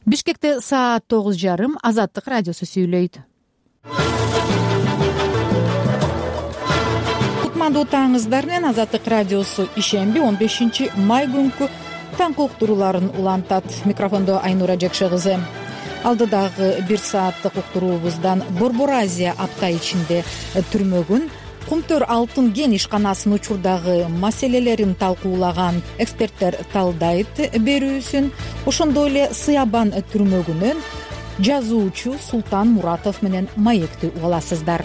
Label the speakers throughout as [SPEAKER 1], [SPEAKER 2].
[SPEAKER 1] Бишкекте саат 9:30. Азаттык радиосу сүйлөйт. Кутмандуу таңыңыздар менен Азаттык радиосу ишемби 15 май күнкү таңкы уктурууларын улантат. Микрофондо Айнура Жакшы кызы. Алдыдагы 1 сааттык уктуруубуздан Борбор Азия апта ичинде түрмөгүн, Кумтөр алтын кен ишканасынын учурдагы маселелерин талкуулаган эксперттер талдайт берүүсүн, ошондой эле Сыябан түрмөгүнөн жазуучу Султан Муратов менен маекти угаласыздар.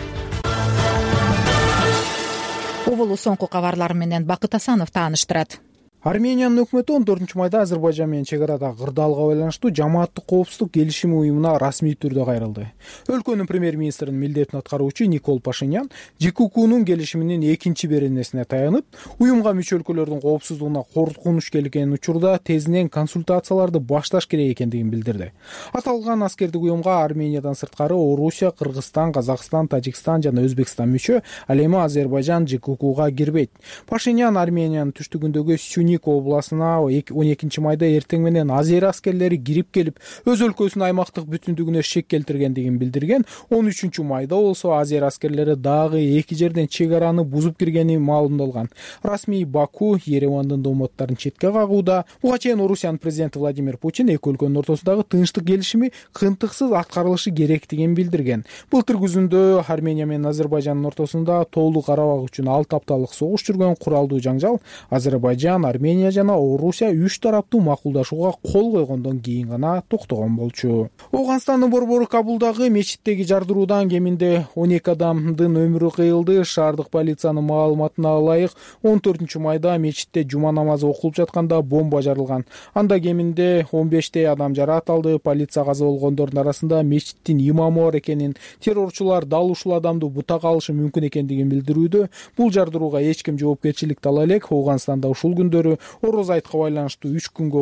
[SPEAKER 1] Оболу соңку кабарлар менен Бакыт Асанов тааныштырат.
[SPEAKER 2] Армениянын өкмөтү 14 майда Азербайжан менен чек арада кырдаалга байланыштуу жамааттык коопсуздук келишими уюмуна расмий түрдө кайрылды. Өлкөнүн премьер-министринин милдетин аткаруучу Никол Пашинян ЖККнун келишиминин 2-беренесине таянып, уюмга мүчө өлкөлөрдүн коопсуздугуна коркунуч келген учурда тезинен консультацияларды башташ керек экендигин билдирди. Аталган аскердик уюмга Армениядан сырткары Орусия, Кыргызстан, Казакстан, Тажикстан жана Өзбекстан мүчө, ал эми Азербайжан ЖККга кирбейт. Пашинян Армениянын түштүгүндөгү Сюник областына 12 майда эртең менен азер аскерлери кирип келип, өз өлкөсүнүн аймактык бүтүндүгүнө шек келтиргендигин билдирген. 13 майда болсо азер аскерлери дагы 2 жерден чек араны бузуп киргени маалымдалган. Расмий Баку Еревандын домотторун четке кагууда. Буга чейин Орусиянын президенти Владимир Путин эки өлкөнүн ортосундагы тынчтык келишими кынтыксыз аткарылышы керектигин билдирген. Былтыр күзүндө Армения менен Азербайжандын ортосунда тоолук Карабак үчүн 6 апталык согуш жүргөн куралдуу жаңжал Азербайжан, Армения жана Орусия 3 тараптуу макулдашууга кол койгондон кийин гана токтогон болчу. Ооганстандын борбору Кабулдагы мечиттеги жардыруудан кеминде 12 адамдын өмүрү кыйылды. Шаардык полициянын маалыматына ылайык 14 майда мечитте жума намазы окулуп жатканда бомба жарылган. Анда кеминде 15 адам жараат алды. Полиция каза болгондордун арасында мечиттин имамы бар экенин, террорчулар дал ушул адамды бутак алышы мүмкүн экендигин билдирүүдө. Бул жардырууга эч ким жоопкерчиликти ала элек. Ооганстанда ушул күндөрү Ороз айтка байланыштуу 3 күнгө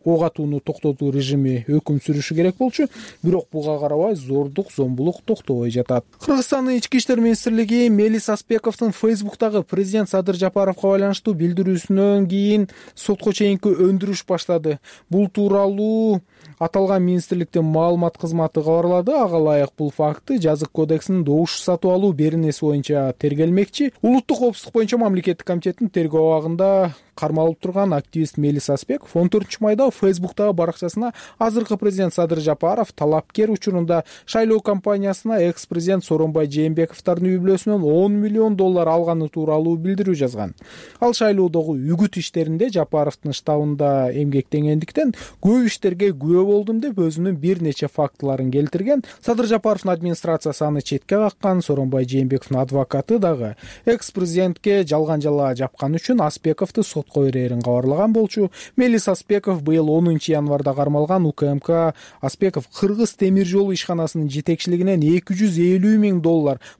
[SPEAKER 2] ок атууну токтотуу режими өкүм сүрүшү керек болчу, бирок буга карабай зордук, зомбулук токтобой жатат. Кыргызстандын ички иштер министрлиги Мелис Аспековдун Фейсбуктагы президент Садыр Жапаровго байланыштуу билдирүүсүнөн кийин сотко чейинки өндүрүш баштады. Бул тууралуу аталган министрликтин маалымат кызматы кабарлады. Ага ылайык бул факты Жазык кодексинин добуш сатып алуу беренеси боюнча тергелмекчи. Улуттук коопсуздук боюнча мамлекеттик комитеттин тергөө абагында кармалып турган активист Мелис Аспеков 14 майда Фейсбуктагы баракчасына азыркы президент Садыр Жапаров талапкер учурунда шайлоо кампаниясына экс-президент Сооронбай Жээнбековдун үй бүлөсүнөн $10 миллион алганы тууралуу билдирүү жазган. Ал шайлоодогу үгүт иштеринде Жапаровдун штабында эмгектенгендиктен көп иштерге күбө болдум деп өзүнүн бир нече фактыларын келтирген. Садыр Жапаровдун администрациясы аны четке каккан. Сооронбай Жээнбековдун адвокаты дагы экс-президентке жалган жала жапкан үчүн Аспековду сотко берерин кабарлаган болчу. Мелис Аспеков быйыл 10 январда кармалган. УКМК Аспеков Кыргыз темир жол ишканасынын жетекчилигинен $250 миң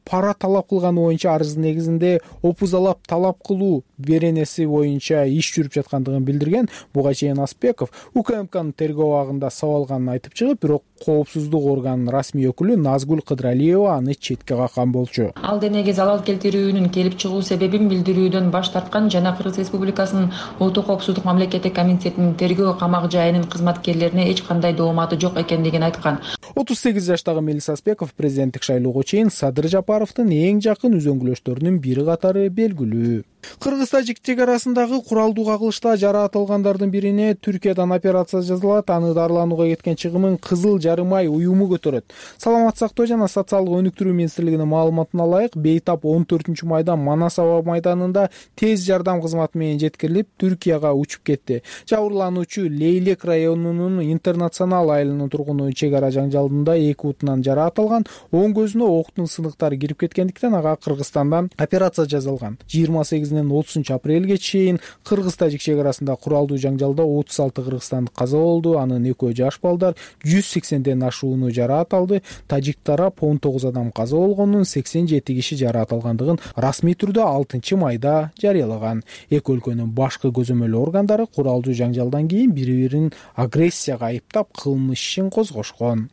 [SPEAKER 2] пара талап кылганы боюнча арыздын негизинде опузалап талап кылуу беренеси боюнча иш жүрүп жаткандыгын билдирген. Буга чейин Аспеков УКМКнын тергөө абагында сабалганын айтып чыгып, бирок коопсуздук органынын расмий өкүлү Назгүл Кыдралиева аны четке каккан болчу.
[SPEAKER 3] Ал денеге залал келтирүүнүн келип чыгуу себебин билдирүүдөн баш тарткан жана Кыргыз Республикасынын Улуттук коопсуздук мамлекеттик комитетинин тергөө камак жайынын кызматкерлерине эч кандай дооматы жок экендигин айткан.
[SPEAKER 2] 38 жаштагы Мелис Аспеков президенттик шайлоого чейин Садыр Жапаровдун эң жакын үзөңгүлөштөрүнүн бири катары белгилүү. Кыргыз-тажик чек арасындагы куралдуу кагылышта жараат алгандардын бирине Түркиядан операция жасалат. Аны дарыланууга кеткен чыгымын Кызыл жарым ай уюму көтөрөт. Саламат сактоо жана социалдык өнүктүрүү министрлигинин маалыматына ылайык, бейтап 14 майда Манас аба майданында тез жардам кызматы менен жеткирилип, Түркияга учуп кетти. Жабырлануучу Лейлек районунун Интернационал айылынын тургуну чек ара жаңжалында 2 бутунан жараат алган. Оң көзүнө октун сыныктары кирип кеткендиктен ага Кыргызстандан операция жасалган. 28-30 апрелге чейин Кыргыз-тажик чек арасында куралдуу жаңжалда 36 кыргызстандык каза болду. Анын 2 жаш балдар 180ден ашууну жараат алды. Тажик тарап 19 адам каза болгонун, 87 киши жараат алгандыгын расмий түрдө 6 майда жарыялаган. Эки өлкөнүн башкы көзөмөл органдары куралдуу жаңжалдан кийин бири-бирин агрессияга айыптап кылмыш ишин козгошкон.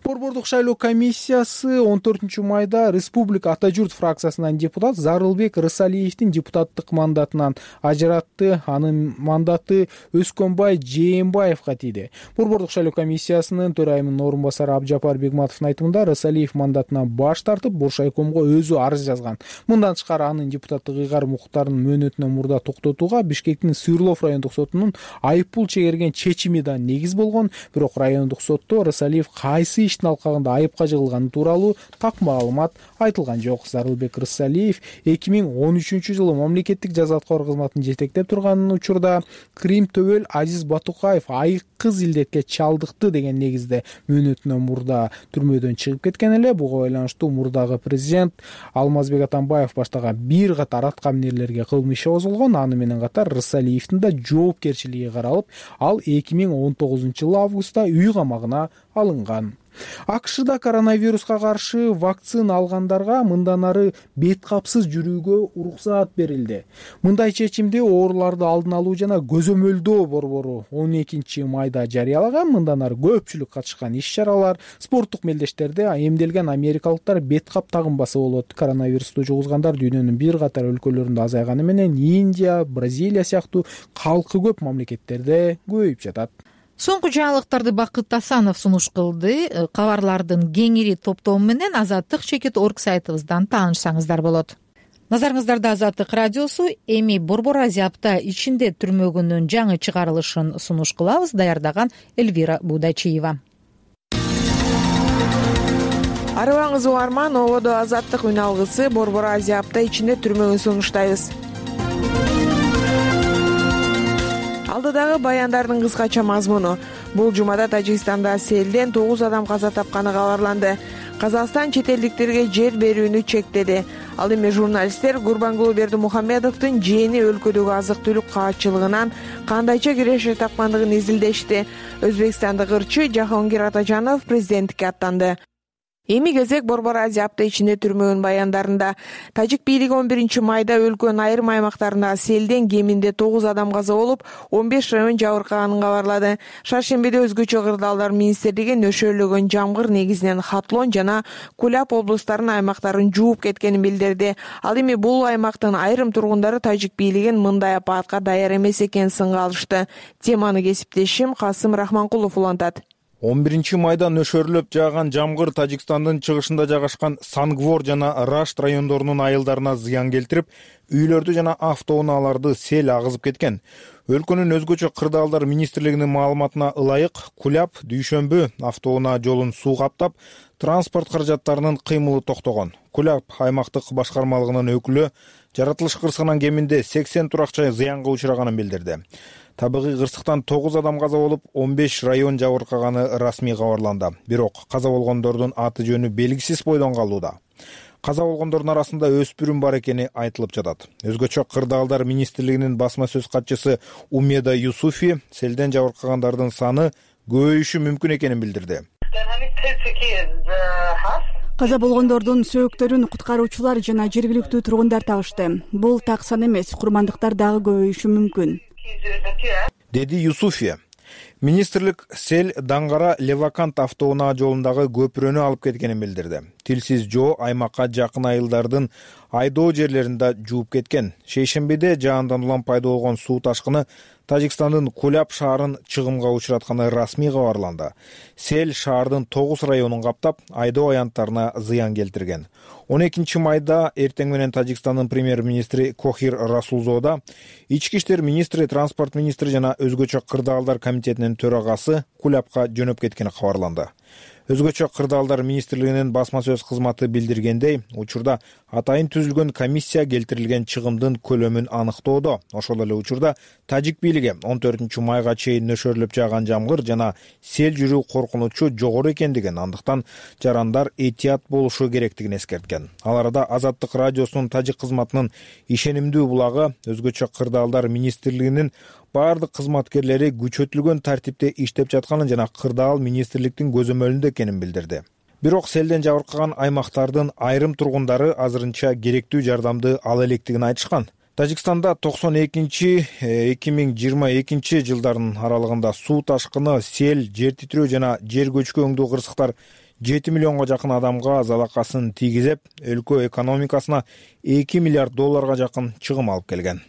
[SPEAKER 2] Борбордук шайлоо комиссиясы 14 майда Республика Ата журт фракциясынан депутат Зарылбек Рысалиевдин депутаттык мандатынан ажыратты. Анын мандаты Өскөнбай Жээнбаевга тийди. Борбордук шайлоо комиссиясынын төрайымынын орун басары Абжапар Бегматовдун айтымында Рысалиев мандатынан баш тартып, Боршайкомго өзү арыз жазган. Мындан тышкары анын депутаттык ыйгар укуктарын мөөнөтүнөн мурда токтотууга Бишкектин Сырлов райондук сотунун айыппул чегерген чечими да негиз болгон. Бирок райондук сотто Рысалиев кайсы иштин алкагында айыпка жыгылганы тууралуу так маалымат айтылган жок. Зарылбек Рысалиев 2013-жылы мамлекеттик жаза аткаруу кызматын жетектеп турган учурда Крим Төбөл Азиз Батукаев айыккыз илдетке чалдыкты деген негизде мөөнөтүнөн мурда түрмөдөн чыгып кеткен эле. Буга байланыштуу мурдагы президент Алмазбек Атамбаев баштаган бир катар аткаминерлерге кылмыш иши козголгон. Аны менен катар Рысалиевдин да жоопкерчилиги каралып, ал 2019-жылы августта үй камагына алынган. АКШда коронавируска каршы вакцина алгандарга мындан ары бет капсыз жүрүүгө уруксаат берилди. Мындай чечимди ооруларды алдын алуу жана көзөмөлдөө борбору 12 майда жарыялаган. Мындан ары көпчүлүк катышкан иш-чаралар, спорттук мелдештерде эмделген америкалыктар бет кап тагынбасы болот. Коронавирусту жугузгандар дүйнөнүн бир катар өлкөлөрүндө азайганы менен Индия, Бразилия сыяктуу калкы көп мамлекеттерде көбөйүп жатат.
[SPEAKER 1] Соңку жаңылыктарды Бакыт Асанов сунуш кылды. Кабарлардын кеңири топтому менен Азаттык.org сайтыбыздан таанышсаңыздар болот. Назарыңыздарда Азаттык радиосу эми Борбор Азия апта ичинде түрмөгүнүн жаңы чыгарылышын сунуш кылабыз. Даярдаган Эльвира Будачиева.
[SPEAKER 4] Арыбаңыз угарман, ободо Азаттык үн алгысы Борбор Азия апта ичинде түрмөгүн сунуштайбыз. Алдыдагы баяндардын кыскача мазмуну. Бул жумада Тажикстанда селден 9 адам каза тапканы кабарланды. Казакстан чет элдиктерге жер берүүнү чектеди. Ал эми журналисттер Гурбангулы Бердимухамедовдун жээни өлкөдөгү азык-түлүк каатчылыгынан кандайча киреше тапкандыгын изилдешти. Өзбекстандык ырчы Жахонгир Атажанов президенттикке аттанды. Эми кезек Борбор Азия апта ичинде түрмөгүн баяндарында. Тажик бийлиги 11 майда өлкөнүн айрым аймактарында селден кеминде 9 адам каза болуп, 15 район жабыркаганын кабарлады. Шаршембиде өзгөчө кырдаалдар министрлиги нөшөрлөгөн жамгыр негизинен Хатлон жана Кулап облустарынын аймактарын жууп кеткенин билдирди. Ал эми бул аймактын айрым тургундары тажик бийлигин мындай апаатка даяр эмес экенин сынга алышты. Теманы кесиптешим Касым Рахманкулов улантат.
[SPEAKER 5] 11 майда нөшөрлөп жааган жамгыр Тажикстандын чыгышында жайгашкан Сангвор жана Рашт райондорунун айылдарына зыян келтирип, үйлөрдү жана автоунааларды сел агызып кеткен. Өлкөнүн өзгөчө кырдаалдар министрлигинин маалыматына ылайык, Кулап дүйшөмбү автоунаа жолун суу каптап, транспорт каражаттарынын кыймылы токтогон. Кулап аймактык башкармалыгынын өкүлү жаратылыш кырсыгынан кеминде 80 турак жай зыянга учураганын билдирди. Табигый кырсыктан 9 адам каза болуп, 15 район жабыркаганы расмий кабарланды. Бирок каза болгондордун аты жөнү белгисиз бойдон калууда. Каза болгондордун арасында өспүрүм бар экени айтылып жатат. Өзгөчө кырдаалдар министрлигинин басма сөз катчысы Умеда Юсуфи селден жабыркагандардын саны көбөйүшү мүмкүн экенин билдирди.
[SPEAKER 6] Каза болгондордун сөөктөрүн куткаруучулар жана жергиликтүү тургундар табышты. Бул так сан эмес, курмандыктар дагы көбөйүшү мүмкүн,
[SPEAKER 5] деди Юсуфи. Министрлик сел Даңгара Левакант автоунаа жолундагы көпүрөнү алып кеткенин билдирди. Тилсиз жоо аймакка жакын айылдардын айдоо жерлеринде жууп кеткен. Шейшембиде жаандан улам пайда болгон суу ташкыны Тажикстандын Кулап шаарын чыгымга учуратканы расмий кабарланды. Сел шаардын 9 районун каптап, айдоо аянттарына зыян келтирген. 12 майда эртең менен Тажикстандын премьер-министри Кохир Расулзода, ички иштер министри, транспорт министри жана өзгөчө кырдаалдар комитетинин төрагасы Кулапка жөнөп кеткени кабарланды. Өзгөчө кырдаалдар министрлигинин басма сөз кызматы билдиргендей, учурда атайын түзүлгөн комиссия келтирилген чыгымдын көлөмүн аныктоодо. Ошол эле учурда тажик бийлиги 14 майга чейин нөшөрлөп жааган жамгыр жана сел жүрүү коркунучу жогору экендигин, андыктан жарандар этият болушу керектигин эскерткен. Ал арада Азаттык радиосунун тажик кызматынын ишенимдүү булагы өзгөчө кырдаалдар министрлигинин бардык кызматкерлери күчөтүлгөн тартипте иштеп жатканын жана кырдаал министрликтин көзөмөлүндө экенин билдирди. Бирок селден жабыркаган аймактардын айрым тургундары азырынча керектүү жардамды ала электигин айтышкан. Тажикстанда 92-2022 жылдардын аралыгында суу ташкыны, сел, жер титирөө жана жер көчкү кырсыктар 7 миллионго жакын адамга залакасын тийгизип, өлкө экономикасына 2 миллиард долларга жакын чыгым алып келген.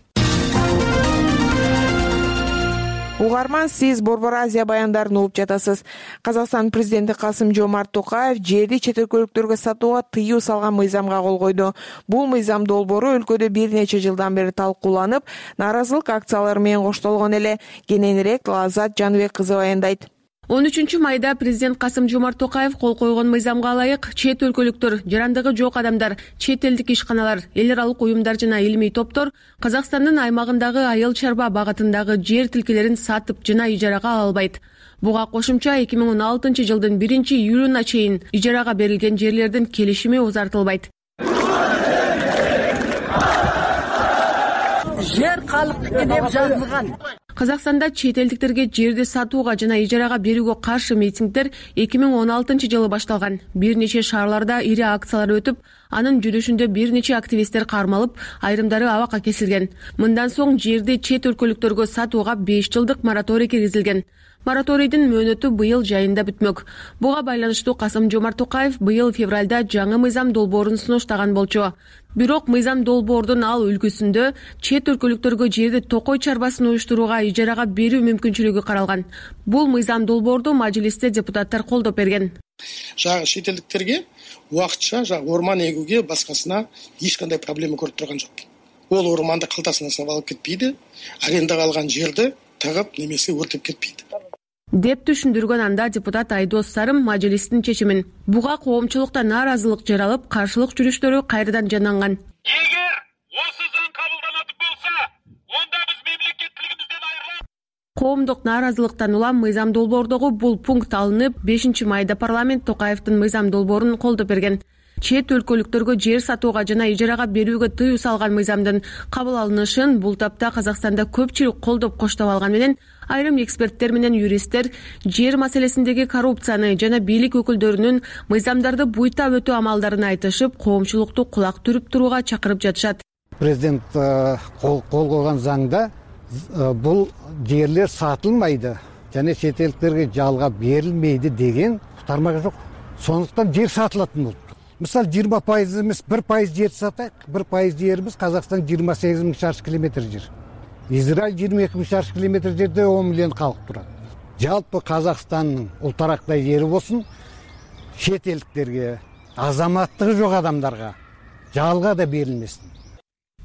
[SPEAKER 4] Угарман, сиз Борбор Азия баяндарын угуп жатасыз. Казакстан президенти Касым-Жомарт Токаев жерди чет өлкөлүктөргө сатууга тыюу салган мыйзамга кол койду. Бул мыйзам долбоору өлкөдө бир нече жылдан бери талкууланып, нааразылык акциялары менен коштолгон эле. Кененирээк Лазат Жаныбек кызы баяндайт.
[SPEAKER 7] 13-майда президент Касым-Жомарт Токаев кол койгон мыйзамга ылайык чет өлкөлүктөр, жарандыгы жок адамдар, чет элдик ишканалар, эл аралык уюмдар жана илимий топтор Казакстандын аймагындагы айыл чарба багытындагы жер тилкелерин сатып жана ижарага ала албайт. Буга кошумча 2016 жылдын 1-июлуна чейин ижарага берилген жерлердин келишими узартылбайт.
[SPEAKER 8] Жер калктыкы деп жазылган.
[SPEAKER 7] Казакстанда чет элдиктерге жерди сатууга жана ижарага берүүгө каршы митингдер 2016 жылы башталган. Бир нече шаарларда ири акциялар өтүп, анын жүрүшүндө бир нече активисттер кармалып, айрымдары абакка кесилген. Мындан соң жерди чет өлкөлүктөргө сатууга 5 жылдык мораторий киргизилген. Мораторийдин мөөнөтү быйыл жайында бүтмөк. Буга байланыштуу Касым-Жомарт Токаев быйыл февралда жаңы мыйзам долбоорун сунуштаган болчу. Бирок мыйзам долбоордун ал үлгүсүндө чет өлкөлүктөргө жерди токой чарбасын уюштурууга ижарага берүү мүмкүнчүлүгү каралган. Бул мыйзам долбоорду мажлисте депутаттар колдоп берген.
[SPEAKER 9] Чет элдиктерге убакытча орман эгүүгө башкасына эч кандай проблема көрүп турган жок. Ол орманды калтасына салып алып кетпейди, арендага алган жерди тагып немесе өртөп кетпейди
[SPEAKER 7] деп түшүндүргөн анда депутат Айдос Сарым мажлистин чечимин. Буга коомчулукта нааразылык жаралып, каршылык жүрүштөрү кайрадан жананган.
[SPEAKER 10] Эгер осы заң кабылданат болсо, онда биз мемлекеттилигибизден айрылабыз.
[SPEAKER 7] Коомдук нааразылыктан улам мыйзам долбоордогу бул пункт алынып, 5-майда парламент Токаевдин мыйзам долбоорун колдоп берген. Чет өлкөлүктөргө жер сатууга жана ижарага берүүгө тыюу салган мыйзамдын кабыл алынышын бул тапта Казакстанда көпчүлүк колдоп коштоп алган менен, айрым эксперттер менен юристтер жер маселесиндеги коррупцияны жана бийлик өкүлдөрүнүн мыйзамдарды буйта өтүү амалдарын айтышып, коомчулукту кулак түрүп турууга чакырып жатышат.
[SPEAKER 11] Президент кол койгон заңда бул жерлер сатылмайды жана чет элдиктерге жалга берилмейди деген тармак жок. Сондуктан жер сатылатын болуп. Мисалы 20% эмес 1% жер сатайык. 1% жерибиз Казакстан 28 000 шаршы километр жер. Израиль 22 000 шаршы километр жерде 10 миллион калк турат. Жалпы Казакстандын ултарактай жери болсун, чет элдиктерге, азаматтыгы жок адамдарга жалга да берилмесин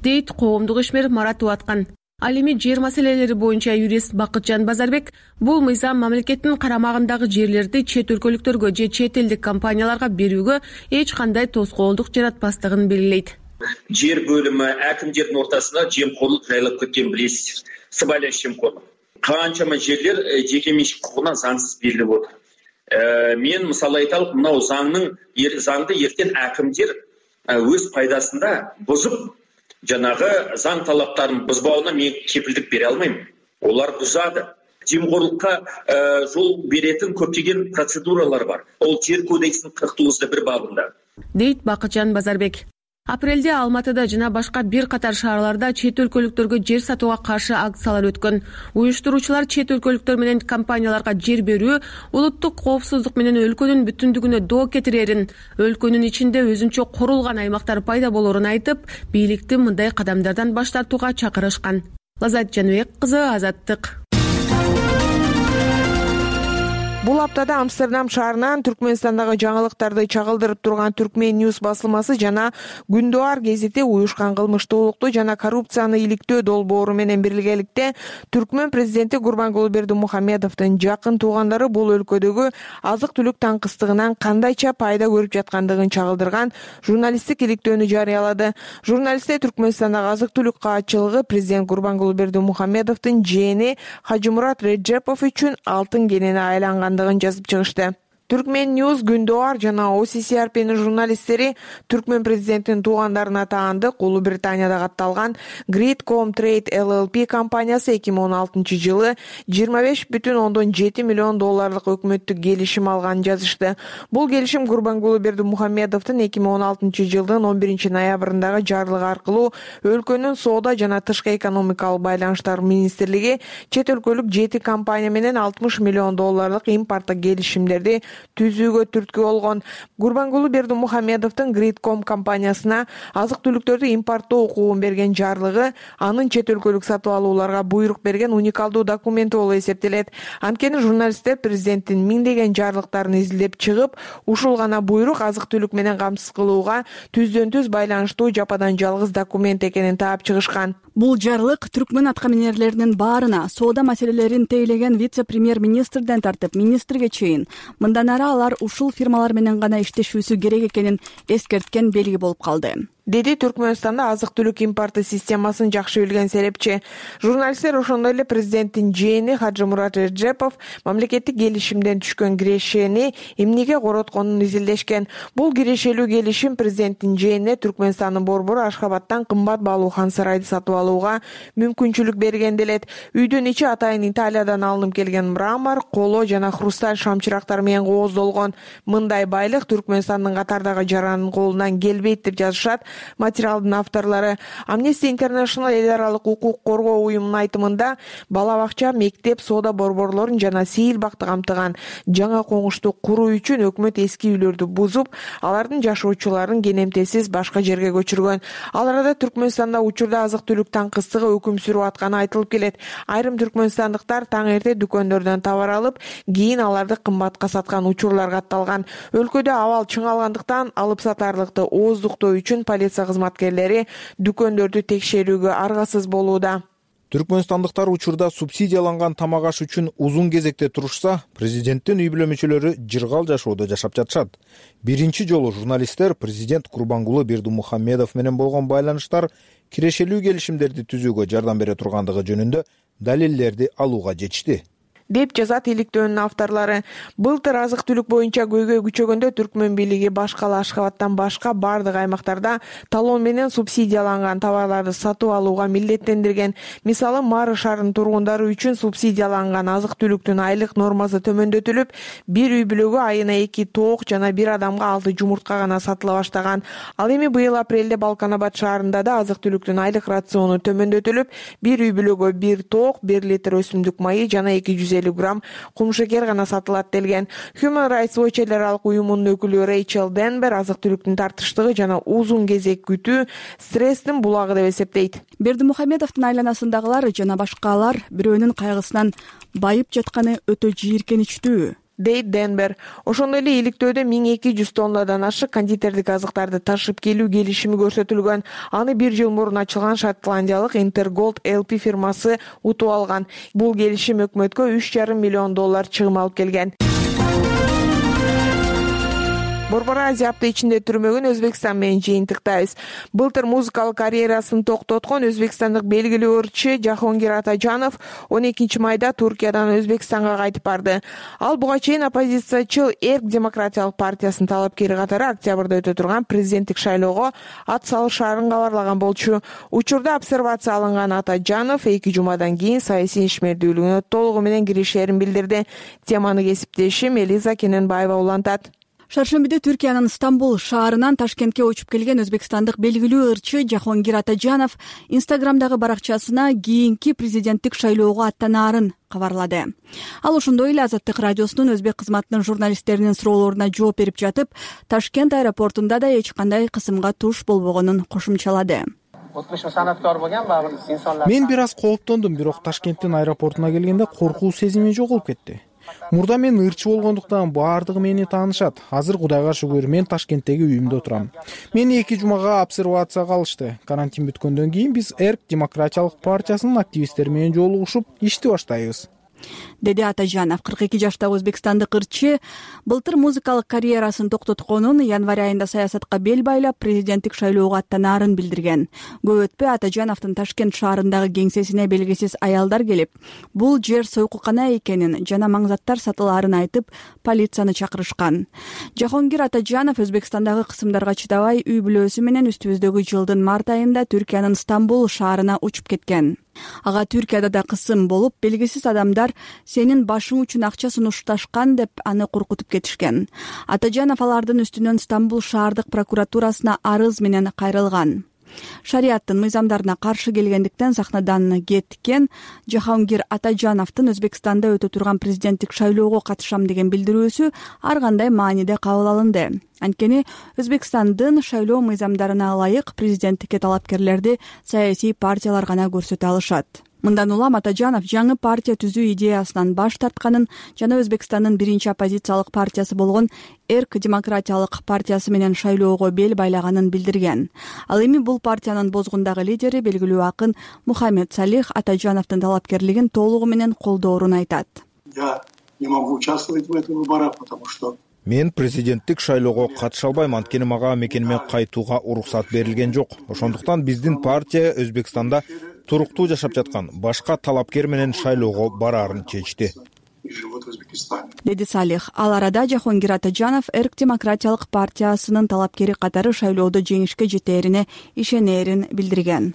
[SPEAKER 7] дейт коомдук ишмер Марат Уаткан. Ал эми жер маселелери боюнча юрист Бакытжан Базарбек бул мыйзам мамлекеттин карамагындагы жерлерди чет өлкөлүктөргө же чет элдик компанияларга берүүгө эч кандай тоскоолдук жаратпастыгын белгилейт.
[SPEAKER 12] Жер бөлүмү, әкимдердин ортасында жемкорлук жайлап кеткен билесиз. Сыбайлаш жемкорлук. Канчама жерлер жеке менчик кукугуна заңсыз берилип отур. Мен мисалы айталык, мынау заңды эртең әкимдер өз пайдасында бузуп, жанагы заң талаптарын бузбауына мен кепилдик бере алмайм. Олар бузады. Жемкорлукка жол беретін көптөгөн процедуралар бар. Ол жер кодексинин 49-1 бабында.
[SPEAKER 7] Дейт Бакытжан Базарбек. Апрелде Алматыда жана башка бир катар шаарларда чет өлкөлүктөргө жер сатууга каршы акциялар өткөн. Уюштуруучулар чет өлкөлүктөр менен компанияларга жер берүү улуттук коопсуздук менен өлкөнүн бүтүндүгүнө доо кетирерин, өлкөнүн ичинде өзүнчө курулган аймактар пайда болорун айтып, бийликти мындай кадамдардан баш тартууга чакырышкан. Лазат Жаныбек кызы, Азаттык.
[SPEAKER 4] Бул аптада Амстердам шаарынан Түркмөнстандагы жаңылыктарды чагылдырып турган Түркмен Ньюс басылмасы жана Күндүар гезити уюшкан кылмыштуулукту жана коррупцияны иликтөө долбоору менен биргеликте Түркмөн президенти Гурбангулы Бердимухамедовдун жакын туугандары бул өлкөдөгү азык-түлүк таңкыстыгынан кандайча пайда көрүп жаткандыгын чагылдырган журналисттик иликтөөнү жарыялады. Журналисттер Түркмөнстандагы азык-түлүк каатчылыгы президент Гурбангулы Бердимухамедовдун жээни Хажымурат Реджепов үчүн алтын кенени айланган жазып чыгышты. Түркмен News, Күндүар жана OCCRP'нин журналисттери Түркмен президентинин туугандарына таандык Улуу Британияда катталган Gridcom Trade LLP компаниясы 2016-жылы 25,7 миллион долларлык өкмөттүк келишим алганын жазышты. Бул келишим Гурбангулы Бердимухамедовдун 2016-жылдын 11-ноябрындагы жарлыгы аркылуу өлкөнүн соода жана тышкы экономикалык байланыштар министрлиги чет өлкөлүк 7 компания менен 60 миллион долларлык импорттук келишимдерди түзүүгө түрткү болгон. Гурбангулы Бердимухамедовдун Gridcom компаниясына азык-түлүктөрдү импорттоо укугун берген жарлыгы анын чет өлкөлүк сатып алууларга буйрук берген уникалдуу документи болуп эсептелет. Анткени журналисттер президенттин миңдеген жарлыктарын изилдеп чыгып, ушул гана буйрук азык-түлүк менен камсыз кылууга түздөн-түз байланыштуу жападан жалгыз документ экенин таап чыгышкан.
[SPEAKER 6] Бул жарлык түркмөн аткаминерлеринин баарына соода маселелерин тейлеген вице-премьер-министрден тартып министрге чейин мындан ары алар ушул фирмалар менен гана иштешүүсү керек экенин эскерткен белги болуп калды,
[SPEAKER 4] деди Түркмөнстанда азык-түлүк импорты системасын жакшы билген серепчи. Журналисттер ошондой эле президенттин жээни Хажымурат Эржепов мамлекеттик келишимден түшкөн кирешени эмнеге коротконун изилдешкен. Бул кирешелүү келишим президенттин жээнине Түркмөнстандын борбору Ашхабадтан кымбат баалуу хан сарайды сатып алууга мүмкүнчүлүк берген делет. Үйдүн ичи атайын Италиядан алынып келген мрамор, коло жана хрусталь шамчырактар менен кооздолгон. Мындай байлык Түркмөнстандын катардагы жаранын колунан келбейт деп жазышат материалдын авторлору. Amnesty International эл аралык укук коргоо уюмунун айтымында бала бакча, мектеп, соода борборлорун жана сейил бакты камтыган жаңа коңушту куруу үчүн өкмөт эски үйлөрдү бузуп, алардын жашоочуларын кенемтесиз башка жерге көчүргөн. Ал арада Түркмөнстанда учурда азык-түлүк таңкыстыгы өкүм сүрүп атканы айтылып келет. Айрым түркмөнстандыктар таң эрте дүкөндөрдөн товар алып, кийин аларды кымбатка саткан учурлар катталган. Өлкөдө абал чыңалгандыктан алып сатарлыкты ооздуктоо үчүн полиция кызматкерлери дүкөндөрдү текшерүүгө аргасыз болууда.
[SPEAKER 5] Түркмөнстандыктар учурда субсидияланган тамак аш үчүн узун кезекте турушса, президенттин үй бүлө мүчөлөрү жыргал жашоодо жашап жатышат. Биринчи жолу журналисттер президент Гурбангулы Бердимухамедов менен болгон байланыштар кирешелүү келишимдерди түзүүгө жардам бере тургандыгы жөнүндө далилдерди алууга жетишти,
[SPEAKER 4] деп жазат иликтөөнүн авторлору. Былтыр азык-түлүк боюнча көйгөй күчөгөндө Түркмөн бийлиги башкала Ашхабадтан башка бардык аймактарда талон менен субсидияланган товарларды сатып алууга милдеттендирген. Мисалы, Мары шаарынын тургундары үчүн субсидияланган азык-түлүктүн айлык нормасы төмөндөтүлүп, бир үй бүлөгө айына 2 тоок жана бир адамга 6 жумуртка гана сатыла баштаган. Ал эми быйыл апрелде Балканабад шаарында да азык-түлүктүн айлык рациону төмөндөтүлүп, бир үй бүлөгө 1 тоок, 1 литр өсүмдүк майы жана 250 грамм кумшекер гана сатылат делген. Human Rights Watch эл аралык уюмунун өкүлү Рейчел Денбер азык-түлүктүн тартыштыгы жана узун кезек күтүү стресстин булагы деп эсептейт.
[SPEAKER 6] Бердимухамедовдун айланасындагылар жана башкалар бирөөнүн кайгысынан байып жатканы өтө жийиркеничтүү,
[SPEAKER 4] дейт Денбер. Ошондой эле иликтөөдө 1200 тоннадан ашык кондитердик азыктарды ташып келүү келишими көрсөтүлгөн. Аны 1 жыл мурун ачылган шотландиялык Intergold LP фирмасы утуп алган. Бул келишим өкмөткө 3,5 миллион доллар чыгым алып келген. Борбор Азия апта ичинде түрмөгүн Өзбекстан менен жыйынтыктайбыз. Былтыр музыкалык карьерасын токтоткон өзбекстандык белгилүү ырчы Жахонгир Атажанов 12 майда Туркиядан Өзбекстанга кайтып барды. Ал буга чейин оппозициячыл Эрк демократиялык партиясынын талапкери катары октябрда өтө турган президенттик шайлоого ат салышаарын кабарлаган болчу. Учурда обсервация алынган Атажанов 2 жумадан кийин саясий ишмердүүлүгүнө толугу менен киришерин билдирди. Теманы кесиптешим Элиза Кененбаева улантат.
[SPEAKER 6] Шаршембиде Түркиянын Стамбул шаарынан Ташкентке учуп келген өзбекстандык белгилүү ырчы Жахонгир Атажанов Инстаграмдагы баракчасына кийинки президенттик шайлоого аттанаарын кабарлады. Ал ошондой эле Азаттык радиосунун өзбек кызматынын журналисттеринин суроолоруна жооп берип жатып, Ташкент аэропортунда да эч кандай кысымга туш болбогонун кошумчалады.
[SPEAKER 2] Мен бир аз кооптондум, бирок Ташкенттин аэропортуна келгенде коркуу сезими жоголуп кетти. Мурда мен ырчы болгондуктан баардыгы мени таанышат. Азыр Кудайга шүгүр мен Ташкенттеги үйүмдө турам. Мени 2 жумага обсервацияга алышты. Карантин бүткөндөн кийин биз Эрк демократиялык партиясынын активисттери менен жолугушуп ишти баштайбыз.
[SPEAKER 6] деди Атажанов. 42 жаштагы өзбекстандык ырчы былтыр музыкалык карьерасын токтотконун, январь айында саясатка бел байлап президенттик шайлоого аттанаарын билдирген. Көп өтпөй Атажановдун Ташкент шаарындагы кеңсесине белгисиз аялдар келип, бул жер сойкукана экенин жана маңзаттар сатылаарын айтып, полицияны чакырышкан. Жахонгир Атажанов Өзбекстандагы кысымдарга чыдабай үй бүлөсү менен үстүбүздөгү жылдын март айында Түркиянын Стамбул шаарына учуп кеткен. Ага Түркияда да кысым болуп, белгисиз адамдар сенин башың үчүн акча сунушташкан деп аны коркутуп кетишкен. Атажанов алардын үстүнөн Стамбул шаардык прокуратурасына арыз менен кайрылган. Шариаттын мыйзамдарына каршы келгендиктен сахнадан кеткен Жахонгир Атажановдун Өзбекстанда өтө турган президенттик шайлоого катышам деген билдирүүсү ар кандай мааниде кабыл алынды. Анткени Өзбекстандын шайлоо мыйзамдарына ылайык президенттикке талапкерлерди саясий партиялар гана көрсөтө алышат. Мындан улам Атажанов жаңы партия түзүү идеясынан баш тартканын жана Өзбекстандын биринчи оппозициялык партиясы болгон Эрк демократиялык партиясы менен шайлоого бел байлаганын билдирген. Ал эми бул партиянын бозгундагы лидери белгилүү акын Мухаммед Салих Атажановдун талапкерлигин толугу менен колдоорун айтат.
[SPEAKER 13] Я не могу участвовать в этих выборах, потому что
[SPEAKER 5] Мен президенттик шайлоого катыша албайм, анткени мага мекениме кайтууга уруксат берилген жок. Ошондуктан биздин партия Өзбекстанда туруктуу жашап жаткан башка талапкер менен шайлоого бараарын чечти,
[SPEAKER 6] деди Салих. Ал арада Жахонгир Атажанов Эрк демократиялык партиясынын талапкери катары шайлоодо жеңишке жетээрине ишенерин билдирген.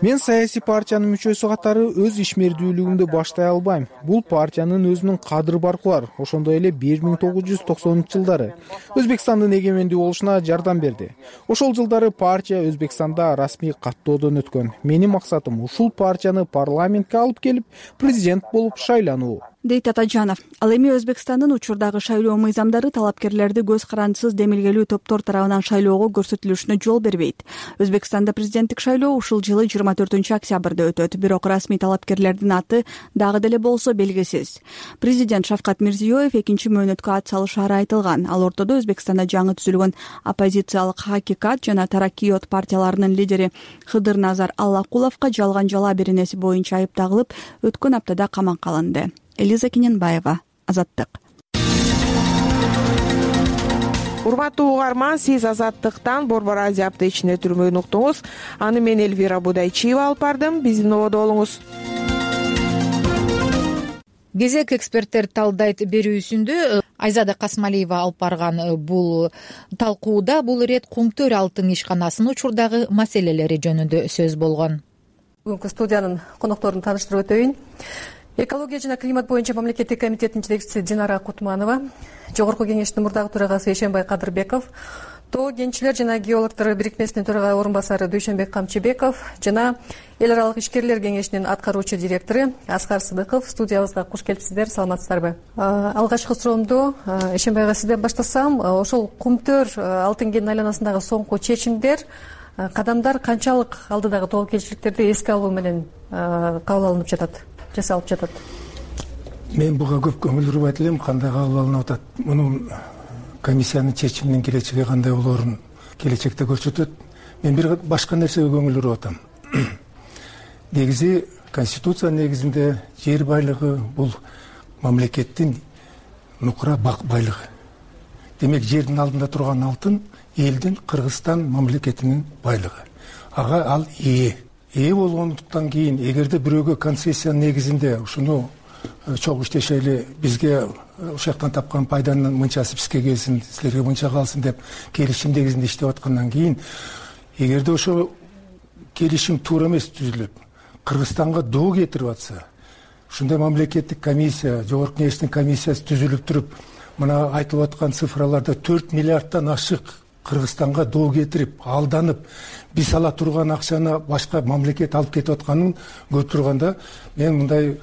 [SPEAKER 2] Мен саясий партиянын мүчөсү катары өз ишмердүүлүгүмдү баштай албайм. Бул партиянын өзүнүн кадыр баркы бар. Ошондой эле 1990-жылдары Өзбекстандын эгемендүү болушуна жардам берди. Ошол жылдары партия Өзбекстанда расмий каттоодон өткөн. Менин максатым ушул партияны парламентке алып келип, президент болуп шайлануу,
[SPEAKER 6] дейт Атажанов. Ал эми Өзбекстандын учурдагы шайлоо мыйзамдары талапкерлерди көз карандысыз демилгелүү топтор тарабынан шайлоого көрсөтүлүшүнө жол бербейт. Өзбекстанда президенттик шайлоо ушул жылы 24-октябрда өтөт, бирок расмий талапкерлердин аты дагы деле болсо белгисиз. Президент Шавкат Мирзиёев экинчи мөөнөткө ат салышаары айтылган. Ал ортодо Өзбекстанда жаңы түзүлгөн оппозициялык Хакикат жана Тараккиот партияларынын лидери Хыдыр Назар Аллакуловго жалган жала беренеси боюнча айып тагылып, өткөн аптада камакка алынды. Элиза Кененбаева, Азаттык.
[SPEAKER 4] Урматтуу угарман, сиз Азаттыктан Борбор Азия аптечине түрмөөнү уктуңуз. Аны мен Элвира Будайчиева алып бардым. Биздин ободо болуңуз.
[SPEAKER 1] Кезек эксперттер талдайт берүүсүндө Айзада Касмалиева алып барган бул талкууда бул ирет Кумтөр алтын ишканасынын учурдагы маселелери жөнүндө сөз болгон.
[SPEAKER 14] Бүгүнкү студиянын конокторун тааныштырып өтөйүн. Экология жана климат боюнча мамлекеттик комитеттин жетекчиси Динара Кутманова, Жогорку кеңештин мурдагы төрагасы Эшенбай Кадырбеков, Тоо кенчилер жана геологдор бирикмесинин төрага орун басары Дүйшөнбек Камчыбеков жана Эл аралык ишкерлер кеңешинин аткаруучу директору Аскар Сыдыков студиябызга куш келипсиздер, саламатсыздарбы? Алгачкы суроомду Эшенбайга сизден баштасам, ошол Кумтөр алтын кенинин айланасындагы соңку чечимдер, кадамдар канчалык алдыдагы тобокелчиликтерди эске алуу менен кабыл алынып жатат? Жасалып жатат.
[SPEAKER 15] Мен буга көп көңүл бурбайт элем, кандай кабыл алынып атат. Муну комиссиянын чечиминин келечеги кандай болоорун келечекте көрсөтөт. Мен бир башка нерсеге көңүл буруп атам. Негизи конституция негизинде жер байлыгы бул мамлекеттин нукура байлыгы. Демек жердин алдында турган алтын элдин Кыргызстан мамлекетинин байлыгы. Ага ал ээ болгондуктан кийин эгерде бирөөгө концессия негизинде ушуну чогуу иштешели, бизге ушул жактан тапкан пайданын мынчасы бизге келсин, силерге мынча калсын деп келишим негизинде иштеп аткандан кийин, эгерде ошо келишим туура эмес түзүлүп, Кыргызстанга доо кетирип атса, ушундай мамлекеттик комиссия, жогорку кеңештин комиссиясы түзүлүп туруп, мына айтылып аткан цифраларда 4 миллиарддан ашык Кыргызстанга доо кетирип, алданып, биз ала турган акчаны башка мамлекет алып кетип атканын көрүп турганда, мен мындай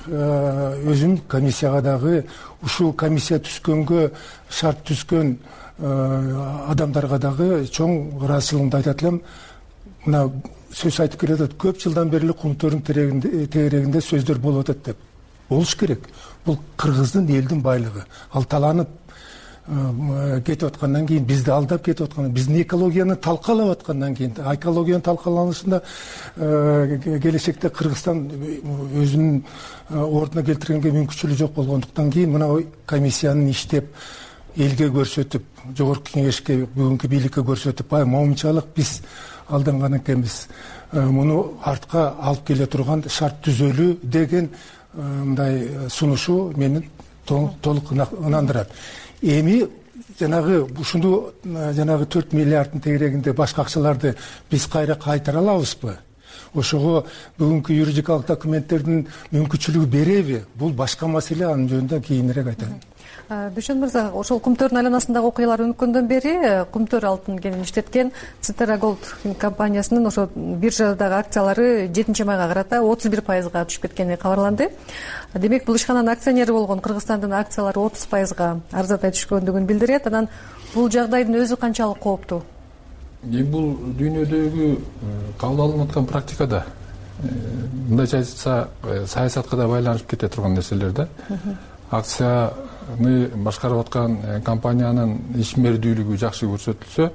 [SPEAKER 15] өзүм комиссияга дагы, ушул комиссия түзгөнгө шарт түзгөн адамдарга дагы чоң ыраазычылыгымды айтат элем. Мына сөз айтып келатат, көп жылдан бери Кумтөрдүн тегерегинде сөздөр болуп атат деп. Болуш керек. Бул Кыргыздын элдин байлыгы. Ал таланып кетип аткандан кийин, бизди алдап кетип аткандан, биздин экологияны талкалап аткандан кийин, экологиянын талкаланышында келечекте Кыргызстан өзүнүн ордуна келтиргенге мүмкүнчүлүгү жок болгондуктан кийин мына комиссиянын иштеп, элге көрсөтүп, жогорку кеңешке, бүгүнкү бийликке көрсөтүп, баягы момунчалык биз алданган экенбиз, муну артка алып келе турган шарт түзөлүү деген мындай сунушу мени толук ынандырат. Эми жанагы ушуну жанагы 4 миллиарддын тегерегинде башка акчаларды биз кайра кайтара алабызбы? Ошого бүгүнкү юридикалык документтердин мүмкүнчүлүгү береби? Бул башка маселе, анын жөнүндө кийинирээк айтайын.
[SPEAKER 14] Дүйшөн мырза, ошол Кумтөрдүн айланасындагы окуялар өнүккөндөн бери Кумтөр алтын кенин иштеткен Цитера Голд компаниясынын ошо биржадагы акциялары 7 майга карата 31%га түшүп кеткени кабарланды. Демек, бул ишкананын акционери болгон Кыргызстандын акциялары 30%га арзадай түшкөндүгүн билдирет. Анан бул жагдайдын өзү канчалык кооптуу?
[SPEAKER 16] Бул дүйнөдөгү кабыл алынып аткан практикада, мындайча айтса, саясатка да байланышып кете турган нерселер да. Акцияны башкарып аткан компаниянын ишмердүүлүгү жакшы көрсөтүлсө,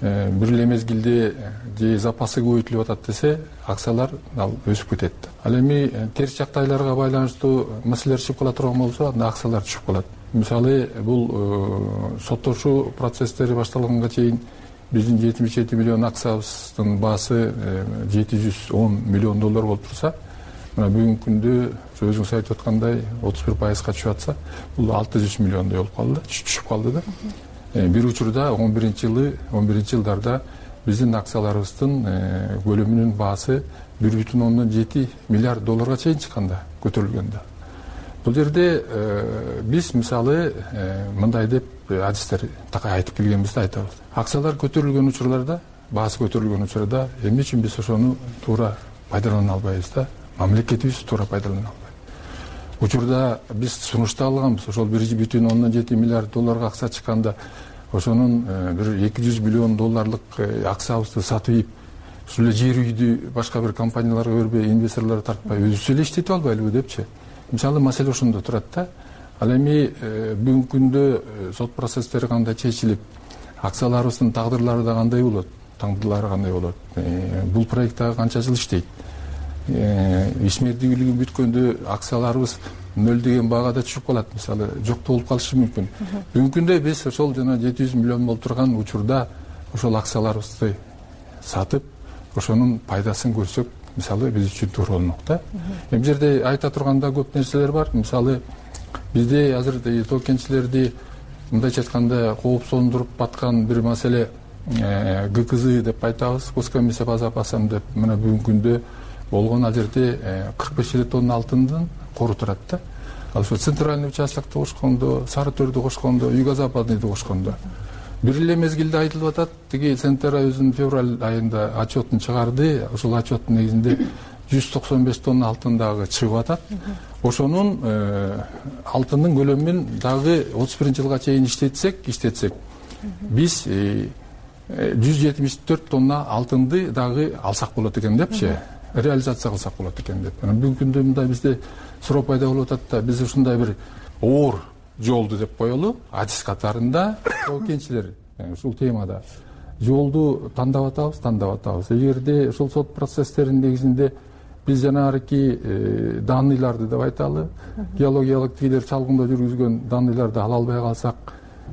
[SPEAKER 16] бир эле мезгилде же запасы көбөйтүлүп атат десе, акциялар ал өсүп кетет. Ал эми терс жактайларга байланыштуу маселелер чыгып кала турган болсо, анда акциялар түшүп калат. Мисалы, бул соттошуу процесстери башталганга чейин биздин 77 миллион акциябыздын баасы 710 миллион доллар болуп турса, мына бүгүнкү күндө өзүңүз айтып аткандай 31%га түшүп атса, бул 600 миллиондой болуп калды, түшүп калды да. Бир учурда 11-жылдарда биздин акцияларыбыздын көлөмүнүн баасы 1,7 миллиард долларга чейин чыкканда, көтөрүлгөндө. Бул жерде биз мисалы мындай деп адистер такай айтып келгенбизди айтабыз. Акциялар көтөрүлгөн учурларда, баасы көтөрүлгөн учурда эмне үчүн биз ошону туура пайдалана албайбыз да? Мамлекетибиз туура пайдалана албайт. Учурда биз сунуштап алганбыз, ошол 1,7 миллиард долларга акция чыкканда, ошонун бир 200 миллион долларлык акциябызды сатып ийип, ушул эле жер үйдү башка бир компанияларга бербей, инвесторлорду тартпай, өзүбүз эле иштетип албайлыбы депчи. Мисалы, маселе ошондо турат да. Ал эми бүгүнкү күндө сот процесстери кандай чечилип, акцияларыбыздын тагдырлары да кандай болот, бул проекттагы канча жыл иштейт, ишмердүүлүгү бүткөндө акцияларыбыз нөлдөгөн багада түшүп калат, мисалы, жок болуп калышы мүмкүн. Бүгүнкү күндө биз ошол жана 700 миллион болуп турган учурда ошол акцияларыбызды сатып, ошонун пайдасын көрсөк, мисалы, биз үчүн туура болмок да. Бул жерде айта турганда көп нерселер бар. Мисалы, бизде азыр тоо кенчилерди мындайча айтканда коопсондуруп аткан бир маселе ГКЗ деп айтабыз, Госкомиссия по запасам деп, мына бүгүнкү күндө болгон ал жерде 45 тонна алтындын кору турат да. Ал ошо центральный участокто кошкондо, Сары Төрдү кошкондо, Юго-Западныйды кошкондо. Бир эле мезгилде айтылып атат, тиги Центра өзүнүн февраль айында отчетун чыгарды, ошол отчеттун негизинде 195 тонна алтын дагы чыгып атат. Ошонун алтындын көлөмүн дагы 31-жылга чейин иштетсек, биз 174 тонна алтынды дагы алсак болот экен депчи, реализация кылсак болот экен деп. Бүгүнкү күндө мындай бизде суроо пайда болуп атат да, биз ушундай бир оор жолду деп коелу, адис катарында кенчилер ушул темада жолду тандап атабыз. Эгерде ушул сот процесстеринин негизинде биз жанагы данныйларды деп айталы, геологиялык тигилер чалгындоо жүргүзгөн данныйларды ала албай калсак,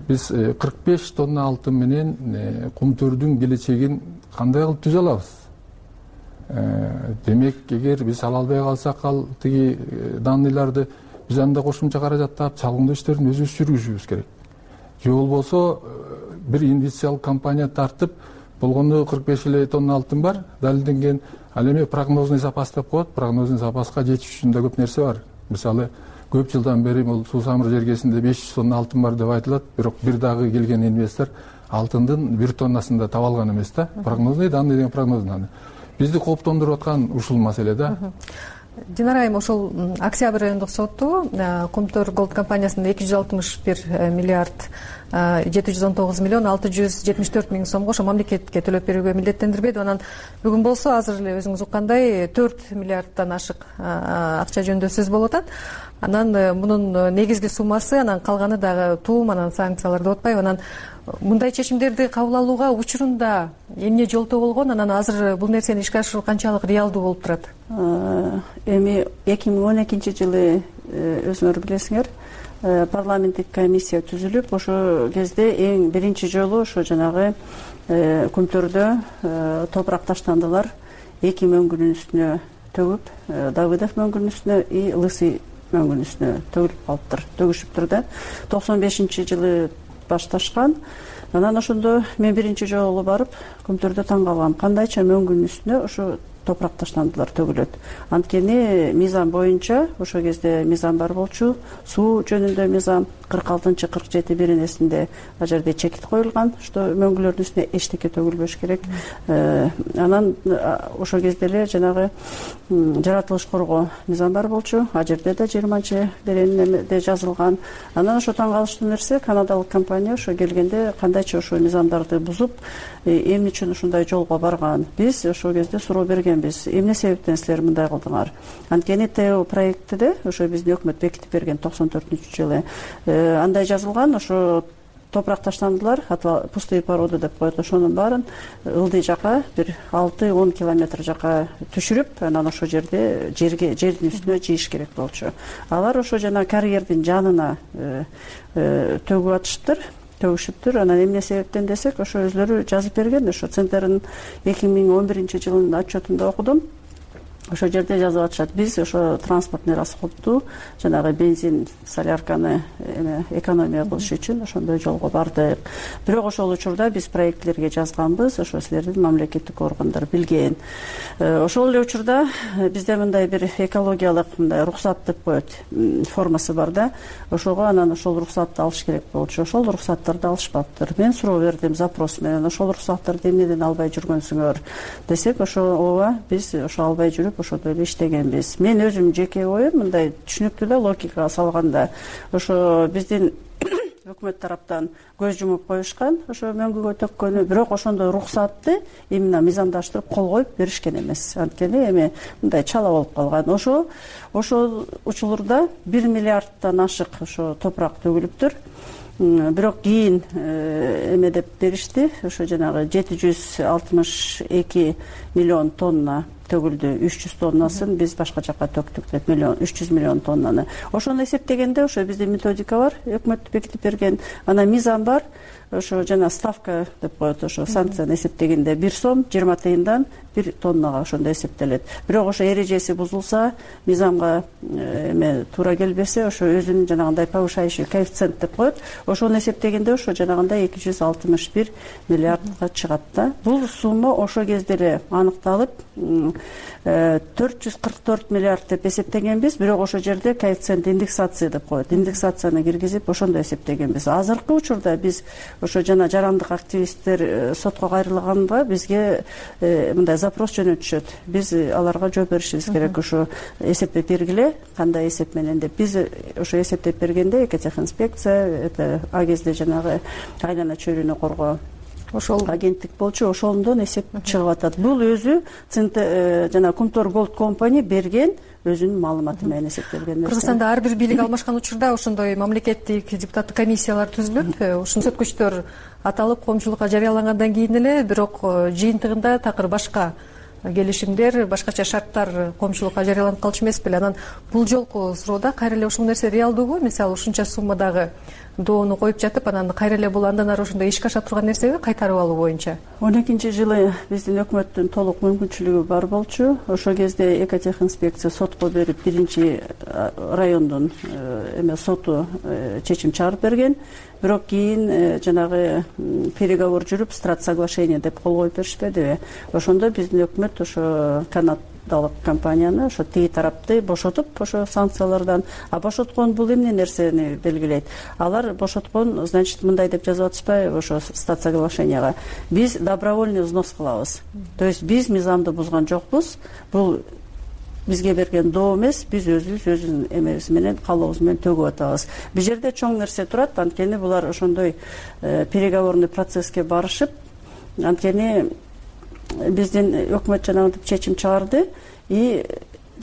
[SPEAKER 16] биз 45 тонна алтын менен Кумтөрдүн келечегин кандай кылып түзө алабыз? Демек, эгер биз ала албай калсак, ал тиги данныйларды биз анда кошумча каражат таап чалгындоо иштерин өзүбүз жүргүзүшүбүз керек. Же болбосо бир инвестициялык компания тартып, болгондо 45 эле тонна алтын бар, далилденген. Ал эми прогнозный запас деп коет, прогнозный запаска жетиш үчүн да көп нерсе бар. Мисалы, көп жылдан бери бул Суу Самыр жергесинде 500 тонна алтын бар деп айтылат, бирок бир дагы келген инвестор алтындын 1 тоннасын да таба алган эмес да. Прогнозный данный деген прогнозный данный. Бизди кооптондуруп аткан ушул маселе да.
[SPEAKER 14] Динара айым, ошол октябрь райондук соту Кумтөр Голд компаниясында 261 миллиард 719 миллион 674 миң сомго ошо мамлекетке төлөп берүүгө милдеттендирбеди. Анан бүгүн болсо азыр эле өзүңүз уккандай 4 миллиарддан ашык акча жөнүндө сөз болуп атат. анан мунун негизги суммасы, анан калганы дагы туум, анан санкциялар деп атпайбы. Анан мындай чечимдерди кабыл алууга учурунда эмне жолтоо болгон, анан азыр бул нерсени ишке ашыруу канчалык реалдуу болуп турат?
[SPEAKER 17] Эми 2012-жылы өзүңөр билесиңер, парламенттик комиссия түзүлүп, ошол кезде эң биринчи жолу ошо жанагы Күмтөрдө топурак таштандылар. 2 мөңгүнүн үстүнө төгүп, Давыдов мөңгүнүн үстүнө и Лысый мөңгүнүн үстүнө төгүлүп калыптыр, төгүшүптүр да. 95-жылы башташкан. Анан ошондо мен биринчи жолу барып Күмтөрдө таң калгам, кандайча мөңгүнүн үстүнө ошо топурак таштандылар төгүлөт. Анткени мыйзам боюнча ошол кезде мыйзам бар болчу, суу жөнүндө мыйзам 46-47 ал жерде чекит коюлган, что мөңгүлөрдүн үстүнө эчтеке төгүлбөш керек. Анан ошол кезде эле жанагы жаратылыш коргоо мыйзам бар болчу, ал жерде да 20 беренде жазылган. Анан ошо таң калыштуу нерсе, канадалык компания ошо келгенде кандайча ошо мыйзамдарды бузуп, эмне үчүн ушундай жолго барган. Биз ошол кезде суроо бергенбиз, эмне себептен силер мындай кылдыңар? Анткени ТО проектиде ошо биздин өкмөт бекитип берген 94-жылы андай жазылган, ошо топурак таштандылар, пустые породы деп коет, ошонун баарын ылдый жака бир 6-10 километр жака түшүрүп, анан ошол жердин үстүнө жийиш керек болчу. Алар ошо жана карьердин жанына төгүп атыштыр, төгүшүптүр. Анан эмне себептен десек, ошо өзлөрү жазып берген, ошо Центрдин 2011-жылдын отчетунда окудум. Ошо жерде жазып атышат, биз ошо транспортный расходду, жанагы бензин, солярканы экономия кылыш үчүн ошондой жолго бардык. Бирок ошол учурда биз проектлерге жазганбыз, ошо силердин мамлекеттик органдар билген. Ошол эле учурда бизде мындай бир экологиялык мындай рухсат деп коет, формасы бар да. Ошого анан ошол рухсатты алыш керек болчу. Ошол рухсаттарды алышпаптыр. Мен суроо бердим запрос менен, ошол рухсаттарды эмнеден албай жүргөнсүңөр десек, ошо ооба биз ошо албай жүрүп ошондой эле иштегенбиз. Мен өзүм жеке оюм мындай түшүнүктүү да, логикага салганда, ошо биздин өкмөт тараптан көз жумуп коюшкан, ошо мөңгүгө төккөнү, бирок ошондой рухсатты именно мыйзамдаштырып кол коюп беришкен эмес. Анткени эми мындай чала болуп калган. Ошол учурда 1 миллиардтан ашык ошо топурак төгүлүптүр. Бирок кийин эме деп беришти, ошо жанагы 762 миллион тонна төгүлдү, 300 тоннасын биз башка жака төктүк деп, 300 миллион тоннаны. Ошону эсептегенде ошо биздин методика бар, өкмөт бекитип берген, анан мыйзам бар, ошо жана ставка деп коет, ошо санкцияны эсептегенде 1 сом 20 тыйындан 1 тоннага ошондо эсептелет. Бирок ошо эрежеси бузулса, мыйзамга эме туура келбесе, ошо өзүнүн жанагындай повышающий коэффициент деп коет. Ошону эсептегенде ошо жанагындай 261 миллиардга чыгат да. Бул сумма ошо кезде эле аныкталып 444 миллиард деп эсептегенбиз, бирок ошол жерде коэффициент индексация деп коет. Индексацияны киргизип ошондо эсептегенбиз. Азыркы учурда биз ошо жана жарандык активисттер сотко кайрылганда бизге мындай запрос жөнөтүшөт. Биз аларга жооп беришибиз керек, ошо эсептеп бергиле, кандай эсеп менен деп. Биз ошо эсептеп бергенде экотехинспекция, это а кезде жанагы айлана чөйрөнү коргоо ошол агенттик болчу, ошондон эсеп чыгып атат. Бул өзү жана Күмтөр Голд компания берген өзүнүн маалыматы менен эсептелген нерсе.
[SPEAKER 14] Кыргызстанда ар бир бийлик алмашкан учурда ошондой мамлекеттик депутаттык комиссиялар түзүлөт. Ушул көрсөткүчтөр аталып коомчулукка жарыялангандан кийин эле, бирок жыйынтыгында такыр башка келишимдер, башкача шарттар коомчулукка жарыяланып калчу эмес беле? Анан бул жолку суроодо кайра эле ушул нерсе реалдуубу? Мисалы ушунча суммадагы доону коюп жатып, анан кайра эле бул андан ары ошондой ишке аша турган нерсеби кайтарып алуу боюнча?
[SPEAKER 17] 12-жылы биздин өкмөттүн толук мүмкүнчүлүгү бар болчу. Ошол кезде экотехинспекция сотко берип, 1 райондун соту чечим чыгарып берген. Бирок кийин жанагы переговор жүрүп, страт соглашение деп кол коюп беришпедиби? Ошондо биздин өкмөт ошо канадалык компанияны, ошо тиги тарапты бошотуп, ошо санкциялардан, бошоткон бул эмне нерсени белгилейт? Алар бошоткон, значит, мындай деп жазып атышпайбы ошо стат соглашенияга? Биз добровольный взнос кылабыз. То есть биз мыйзамды бузган жокпуз. Бул бизге берген доо эмес, биз өзүбүздүн эмебиз менен, каалообуз менен төгүп атабыз. Бул жерде чоң нерсе турат, анткени булар ошондой переговорный процесске барышып, анткени биздин өкмөт жанагынтип чечим чыгарды и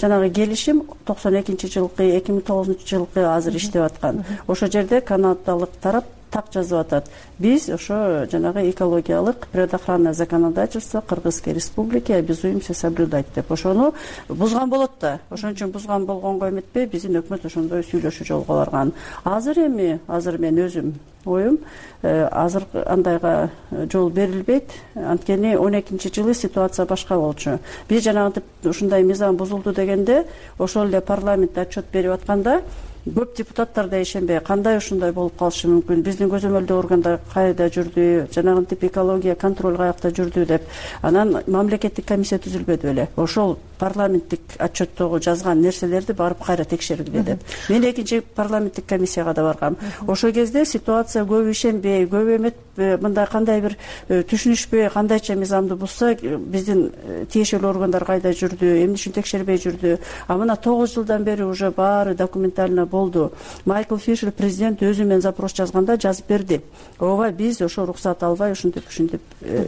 [SPEAKER 17] жанагы келишим 92-жылкы 2009-жылкы азыр иштеп аткан. Ошол жерде канадалык тарап так жазып атат. Биз ошо жанагы экологиялык природоохранное законодательство Кыргызской республики обязуемся соблюдать деп ошону бузган болот да. Ошон үчүн бузган болгонго эметпей биздин өкмөт ошондой сүйлөшүү жолго барган. Азыр мен өзүм оюм азыр андайга жол берилбейт. Анткени 12-жылы ситуация башка болчу. Биз жанагынтип ушундай мыйзам бузулду дегенде ошол эле парламентте отчет берип атканда көп депутаттар да ишенбей кандай ушундай болуп калышы мүмкүн, биздин көзөмөлдөө органдар кайда жүрдү, жанагынтип экология контроль каякта жүрдү деп анан мамлекеттик комиссия түзүлбөдү беле. Ошол парламенттик отчеттогу жазган нерселерди барып кайра текшергиле деп. Мен экинчи парламенттик комиссияга да баргам. Ошол кезде ситуация көп ишенбей, көп эметпей, мындай кандай бир түшүнүшпөй, кандайча мыйзамды бузса, биздин тиешелүү органдар кайда жүрдү, эмне үчүн текшербей жүрдү. А мына 9 жылдан бери уже баары документально болду. Майкл Фишер президент өзү менен запрос жазганда жазып берди. Ооба биз ошо уруксат албай ушинтип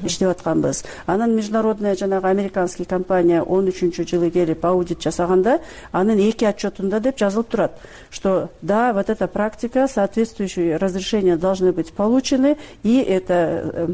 [SPEAKER 17] иштеп атканбыз. Анан международная жанагы американский компания 13-жылы келип аудит жасаганда анын 2 отчетунда деп жазылып турат, что да, вот эта практика, соответствующие разрешения должны быть получены, и это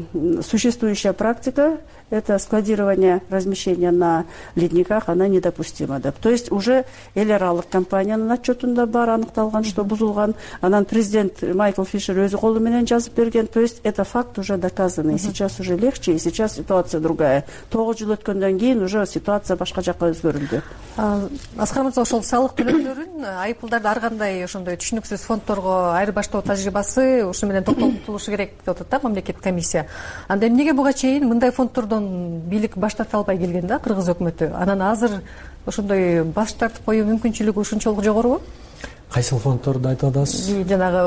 [SPEAKER 17] существующая практика, это складирование, размещение на ледниках, она недопустима деп. То есть уже эл аралык компаниянын отчетунда бар аныкталган, что бузулган. Анан президент Майкл Фишер өзү колу менен жазып берген. То есть это факт уже доказанный. Сейчас уже легче, и сейчас ситуация другая. 9 жыл өткөндөн кийин уже ситуация башка жакка өзгөрүлдү.
[SPEAKER 14] Аскар мырза, ошол салык төлөөлөрүн, айыппулдарды ар кандай ошондой түшүнүксүз фондторго айырбаштоо тажрыйбасы ушу менен токтотулушу керек деп атат да мамлекеттик комиссия. Анда эмнеге буга чейин мындай фондтордон бийлик баш тарта албай келген да Кыргыз өкмөтү? Анан азыр ошондой баш тартып коюу мүмкүнчүлүгү ушунчалык жогорубу?
[SPEAKER 18] Кайсыл фондторду айтып атасыз?
[SPEAKER 14] Жанагы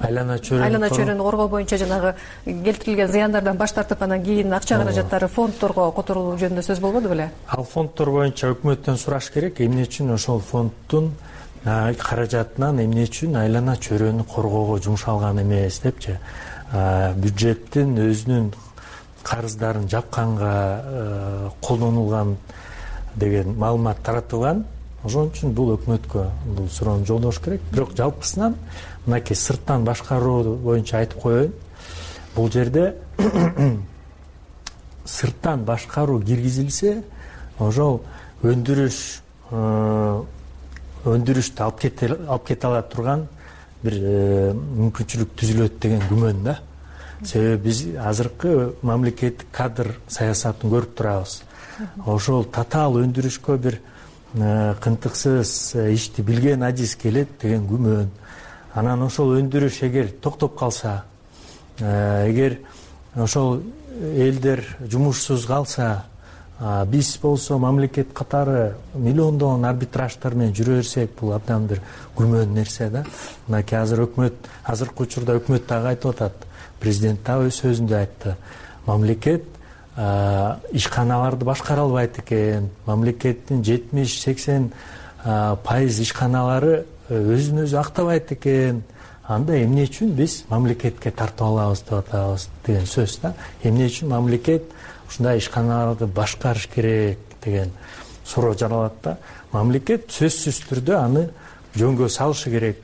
[SPEAKER 18] айлана
[SPEAKER 14] чөйрөнү коргоо боюнча жанагы келтирилген зыяндардан баш тартып анан кийин акча каражаттары фондторго которулуу жөнүндө сөз болбоду беле?
[SPEAKER 18] Ал фондтор боюнча өкмөттөн сураш керек, эмне үчүн ошол фонддун каражатынан эмне үчүн айлана чөйрөнү коргоого жумшалган эмес депчи. Бюджеттин өзүнүн карыздарын жапканга колдонулган деген маалымат таратылган. Ошон үчүн бул өкмөткө бул суроону жолдош керек. Бирок жалпысынан мынакей сырттан башкаруу боюнча айтып коеюн. Бул жерде сырттан башкаруу киргизилсе, ошол өндүрүштү алып кете ала турган бир мүмкүнчүлүк түзүлөт деген күмөн да. Себеби биз азыркы мамлекеттик кадр саясатын көрүп турабыз. Ошол татаал өндүрүшкө бир кынтыксыз ишти билген адис келет деген күмөн. Анан ошол өндүрүш эгер токтоп калса, эгер ошол элдер жумушсуз калса, биз болсо мамлекет катары миллиондогон арбитраждар менен жүрө берсек, бул абдан бир күмөн нерсе да. Мынакей азыр өкмөт, азыркы учурда өкмөт дагы айтып атат. Президент да өз сөзүндө айтты. Мамлекет ишканаларды башкара албайт экен. Мамлекеттин 70-80% ишканалары өзүн өзү актабайт экен. Анда эмне үчүн биз мамлекетке тартып алабыз деп атабыз деген сөз да. Эмне үчүн мамлекет ушундай ишканаларды башкарыш керек деген суроо жаралат да. Мамлекет сөзсүз түрдө аны жөнгө салышы керек.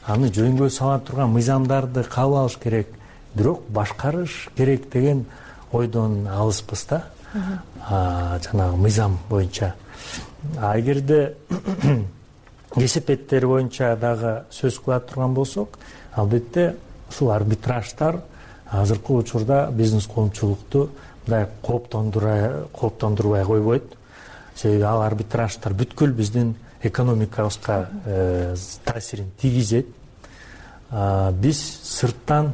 [SPEAKER 18] Аны жөнгө сала турган мыйзамдарды кабыл алыш керек. Бирок башкарыш керек деген ойдон алыспыз да. Жанагы мыйзам боюнча. Эгерде кесепеттер боюнча дагы сөз кыла турган болсок, албетте ушул арбитраждар азыркы учурда бизнес коомчулукту мындай кооптондурбай койбойт. Себеби ал арбитраждар бүткүл биздин экономикабызга таасирин тийгизет. Биз сырттан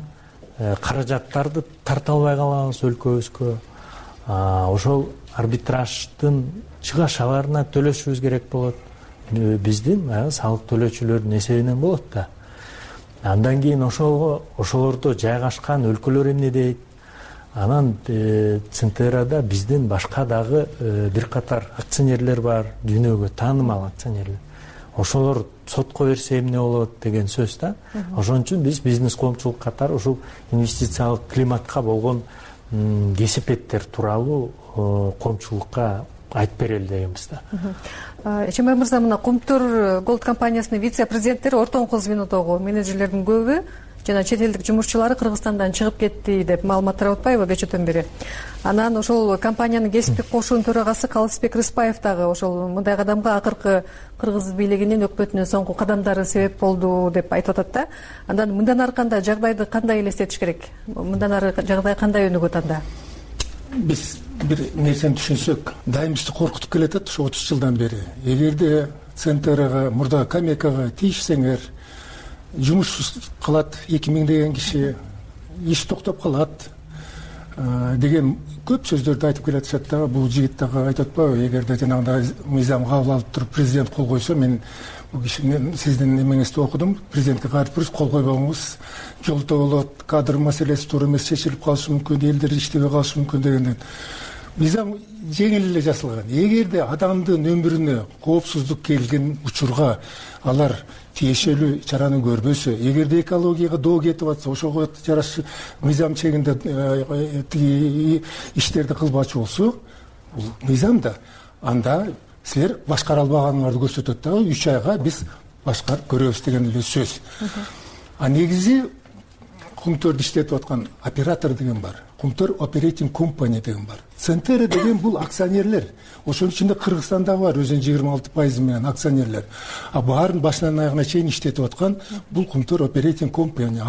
[SPEAKER 18] каражаттарды тарта албай калабыз өлкөбүзгө. Ошол арбитраждын чыгашаларына төлөшүбүз керек болот. Биздин салык төлөөчүлөрдүн эсебинен болот да. Андан кийин ошолордо жайгашкан өлкөлөр эмне дейт? Анан Центерада биздин башка дагы бир катар акционерлер бар, дүйнөгө таанымал акционерлер. Ошолор сотко берсе эмне болот деген сөз да. Ошон үчүн биз бизнес коомчулук катары ушул инвестициялык климатка болгон кесепеттер тууралуу коомчулукка айтып берели дегенбиз да.
[SPEAKER 14] Эшенбай мырза, мына Кумтур Голд компаниясынын вице-президенттери ортоңку звенодогу менеджерлердин көбү жана чет элдик жумушчулары Кыргызстандан чыгып кетти деп маалымат тарап атпайбы кечээден бери. Анан ошол компаниянын кесиптик кошуунун төрагасы Калысбек Рыспаев дагы ошол мындай кадамга акыркы кыргыз бийлигинин өкмөтүнүн соңку кадамдары себеп болду деп айтып атат да. Андан мындан ары кандай жагдайды кандай элестетиш керек? Мындан ары жагдай кандай өнүгөт анда?
[SPEAKER 15] Биз бир нерсени түшүнсөк, дайым бизди коркутуп келатат ушу 30 жылдан бери. Эгерде Центрага, мурда Камекага тийишсеңер, жумуш кылат 2000 деген киши, иш токтоп калат деген көп сөздөрдү айтып келатышат да. Бул жигит дагы айтып атпайбы, эгерде жанагындай мыйзам кабыл алып туруп президент кол койсо, мен бул кишинин сиздин эмеңизди окудум, президентке каршы кол койбоңуз, жолдо болот, кадр маселеси туура эмес чечилип калышы мүмкүн, элдер иштебей калышы мүмкүн дегенден. Мыйзам жеңил эле жасалган. Эгерде адамдын өмүрүнө коопсуздук келген учурга алар тиешелүү чараны көрбөсө, эгерде экологияга доо кетип атса, ошого жараша мыйзам чегинде иштерди кылбачы болсо, бул мыйзамда анда силер башкара албаганыңарды көрсөтөт дагы, 3 айга биз башкарып көрөбүз деген эле сөз. А негизи Кумтөрдү иштетип аткан оператор деген бар. Кумтөр Operating Company деген бар. Центр деген бул акционерлер. Ошонун ичинде Кыргызстанда бар өзүнүн 26% менен акционерлер. А баарын башынан аягына чейин иштетип аткан бул Кумтөр Operating Company,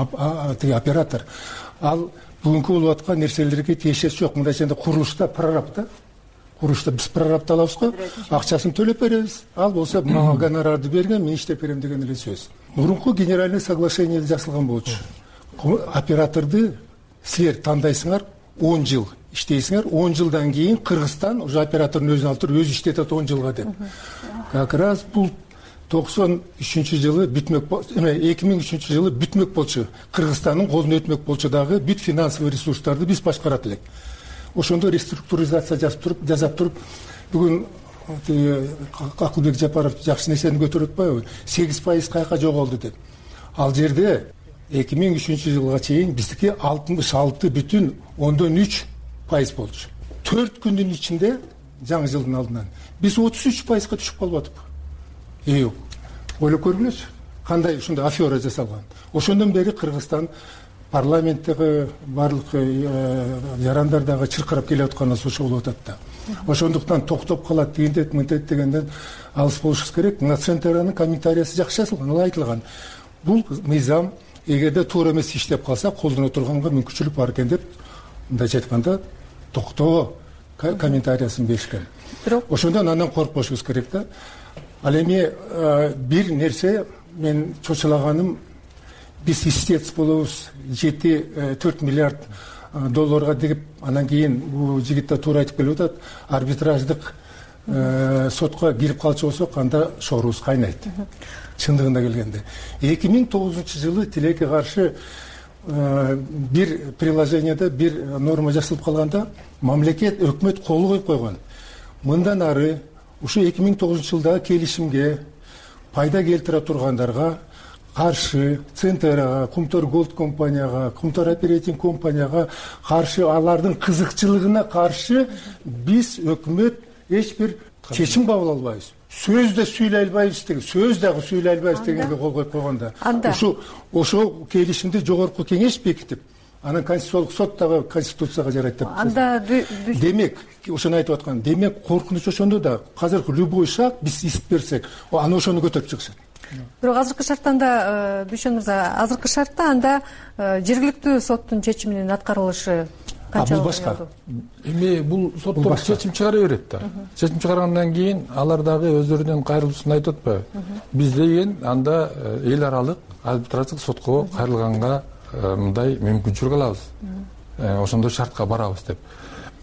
[SPEAKER 15] оператор. Ал бүгүнкү болуп аткан нерселерге тиешеси жок. Мындай ченде курулушта прораб да. Курулушта биз прорабты алабыз го, акчасын төлөп беребиз. Ал болсо мага гонорарды берген, мен иштеп берем деген эле сөз. Мурунку генеральный соглашение жасалган болчу. Операторду силер тандайсыңар, 10 жыл иштейсиңер, 10 жылдан кийин Кыргызстан уже оператордун өзүн алып туруп өзү иштетет 10 жылга деп. Как раз бул 93-жылы бүтмөк, 2003-жылы бүтмөк болчу. Кыргызстандын колуна өтмөк болчу дагы бүт финансовый ресурстарды биз башкарат элек. Ошондо реструктуризация жасап туруп, бүгүн Акылбек Жапаров жакшы нерсени көтөрүп атпайбы? 8% кайка жоголду деп. Ал жерде 2003-жылга чейин биздики 66,3% болчу. 4 күндүн ичинде жаңы жылдын алдынан биз 33%га түшүп калып атып. Ойлоп көргүлөчү, кандай ушундай афера жасалган. Ошондон бери Кыргызстан парламенттеги барлык жарандардагы чыркырап келе атканыбыз ошо болуп атат да. Ошондуктан токтоп калат дегендек, мынтет дегенден алыс болушубуз керек. Мына Центранын комментариясы жакшы жазылган, ал айтылган. Бул мыйзам эгерде туура эмес иштеп калса, колдоно турганга мүмкүнчүлүк бар экен деп, мындайча айтканда, токтоо комментариясын беришкен. Ошондон андан коркпошубуз керек да. Ал эми бир нерсе мен чочулаганым, биз истец болобуз, 4 миллиард долларга деп, анан кийин бул жигит да туура айтып келип атат, арбитраждык сотко кирип калчу болсок, анда шорубуз кайнайт. Чындыгында келгенде 2009-жылы тилекке каршы бир приложениеде бир норма жасалып калганда, мамлекет, өкмөт кол коюп койгон. Мындан ары ушу 2009-жылдагы келишимге пайда келтире тургандарга каршы, Центрага, Кумтөр Голд компанияга, Кумтөр Operating компанияга каршы, алардын кызыкчылыгына каршы биз өкмөт эч бир чечим кабыл албайбыз. Сөз да сүйлөй албайбыз деген, сөз дагы сүйлөй албайбыз дегенге кол коюп койгонда. Ошо келишимди жогорку кеңеш бекитип, анан Конституциялык сот дагы Конституцияга жарайт деп.
[SPEAKER 14] Анда
[SPEAKER 15] демек, ошону айтып аткан, демек коркунуч ошондо да. Азыркы любой шаг биз ист берсек, аны ошону көтөрүп чыгышат.
[SPEAKER 14] Бирок азыркы шарттанда, Дүйшөн мырза, азыркы шартта анда жергиликтүү соттун чечиминин аткарылышы
[SPEAKER 15] бул башка.
[SPEAKER 16] Эми бул соттор чечим чыгара берет да. Чечим чыгаргандан кийин алар дагы өздөрүнүн кайрылуусун айтып атпайбы? Биз деген анда эл аралык арбитраждык сотко кайрылганга мындай мүмкүнчүлүк алабыз. Ошондой шартка барабыз деп.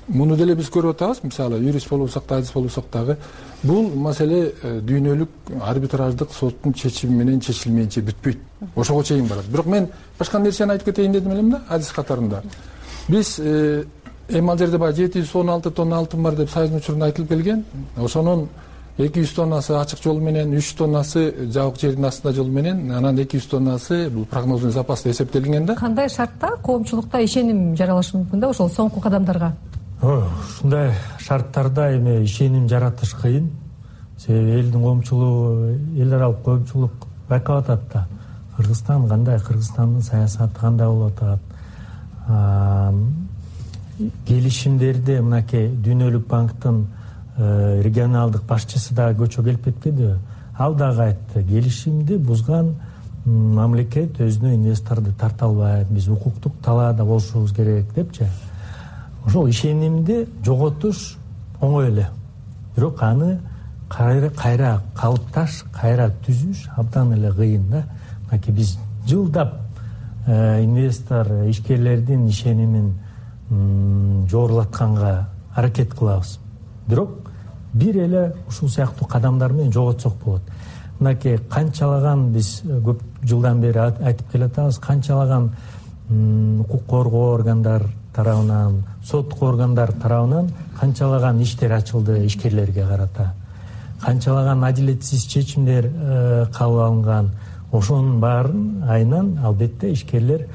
[SPEAKER 16] Муну деле биз көрүп атабыз, мисалы, юрист болсок да, адис болсок дагы, бул маселе дүйнөлүк арбитраждык соттун чечими менен чечилмейинче бүтпөйт. Ошого чейин барат. Бирок мен башка нерсени айтып кетейин дедим элем да, адис катарында. Биз эми ал жерде 716 тонна алтын бар деп Союздун учурунда айтылып келген. Ошонун 200 тоннасы ачык жол менен, 300 тоннасы жабык жердин астында жол менен, анан 200 тоннасы бул прогнозный запаста эсептелинген да.
[SPEAKER 14] Кандай шартта коомчулукта ишеним жаралышы мүмкүн да ошол соңку кадамдарга?
[SPEAKER 18] ушундай шарттарда эми ишеним жаратыш кыйын. Себеби элдин коомчулугу, эл аралык коомчулук байкап атат да. Кыргызстан кандай, Кыргызстандын саясаты кандай болуп атат. Келишимдерди мынакей Дүйнөлүк банктын регионалдык башчысы дагы көчө келип кетпедиби? Ал дагы айтты, келишимди бузган мамлекет өзүнө инвесторду тарта албайт, биз укуктук талаада болушубуз керек депчи. Ошол ишенимди жоготуш оңой эле. Бирок аны кайра калыпташ, кайра түзүш абдан эле кыйын да. Мынакей биз жылдап инвестор, ишкерлердин ишенимин жогорулатканга аракет кылабыз. Бирок бир эле ушул сыяктуу кадамдар менен жоготсок болот. Мынакей канчалаган биз көп жылдан бери айтып келатабыз, канчалаган укук коргоо органдар тарабынан, соттук органдар тарабынан канчалаган иштер ачылды ишкерлерге карата. Канчалаган адилетсиз чечимдер кабыл алынган. Ошонун баарын айынан албетте ишкерлер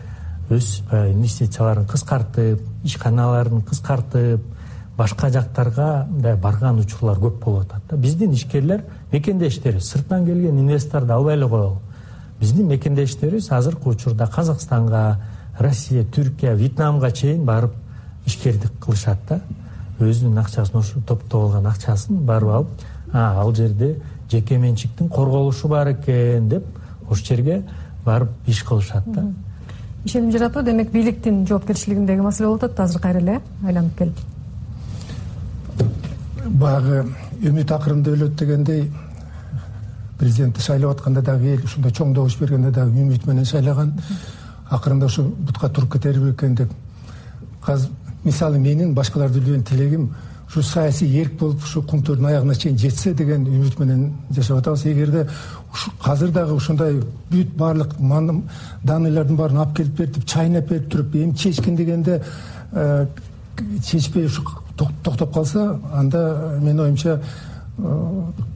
[SPEAKER 18] өз инвестицияларын кыскартып, ишканаларын кыскартып, башка жактарга барган учурлар көп болуп атат. Биздин ишкерлер мекендештерибиз, сырттан келген инвесторду албай эле коелу. Биздин мекендештерибиз азыркы учурда Казакстанга, Россия, Түркия, Вьетнамга чейин барып ишкердик кылышат да. Өзүнүн акчасын, ошо топтоп алган акчасын барып алып, ал жерде жеке менчиктин корголушу бар экен деп ошол жерге барып иш кылышат да.
[SPEAKER 14] Ишеним жаратуу демек бийликтин жоопкерчилигиндеги маселе болуп атат, азыр кайра эле айланып келип.
[SPEAKER 15] Баягы үмүт акырында өлөт дегендей, президентти шайлап атканда дагы эл ушундай чоң добуш бергенде дагы үмүт менен шайлаган. Акырында ушу бутка туруп кетерби экен деп. Азыр мисалы менин башкаларды билген тилегим ушу саясий эрк болуп ушу кумтөрдүн аягына чейин жетсе деген үмүт менен жашап атабыз. Эгерде азыр дагы ушундай бүт баардык даныйлардын баарын алып келип берип, чайнап берип туруп, эми чечкин дегенде чечпей ушу токтоп калса, анда менин оюмча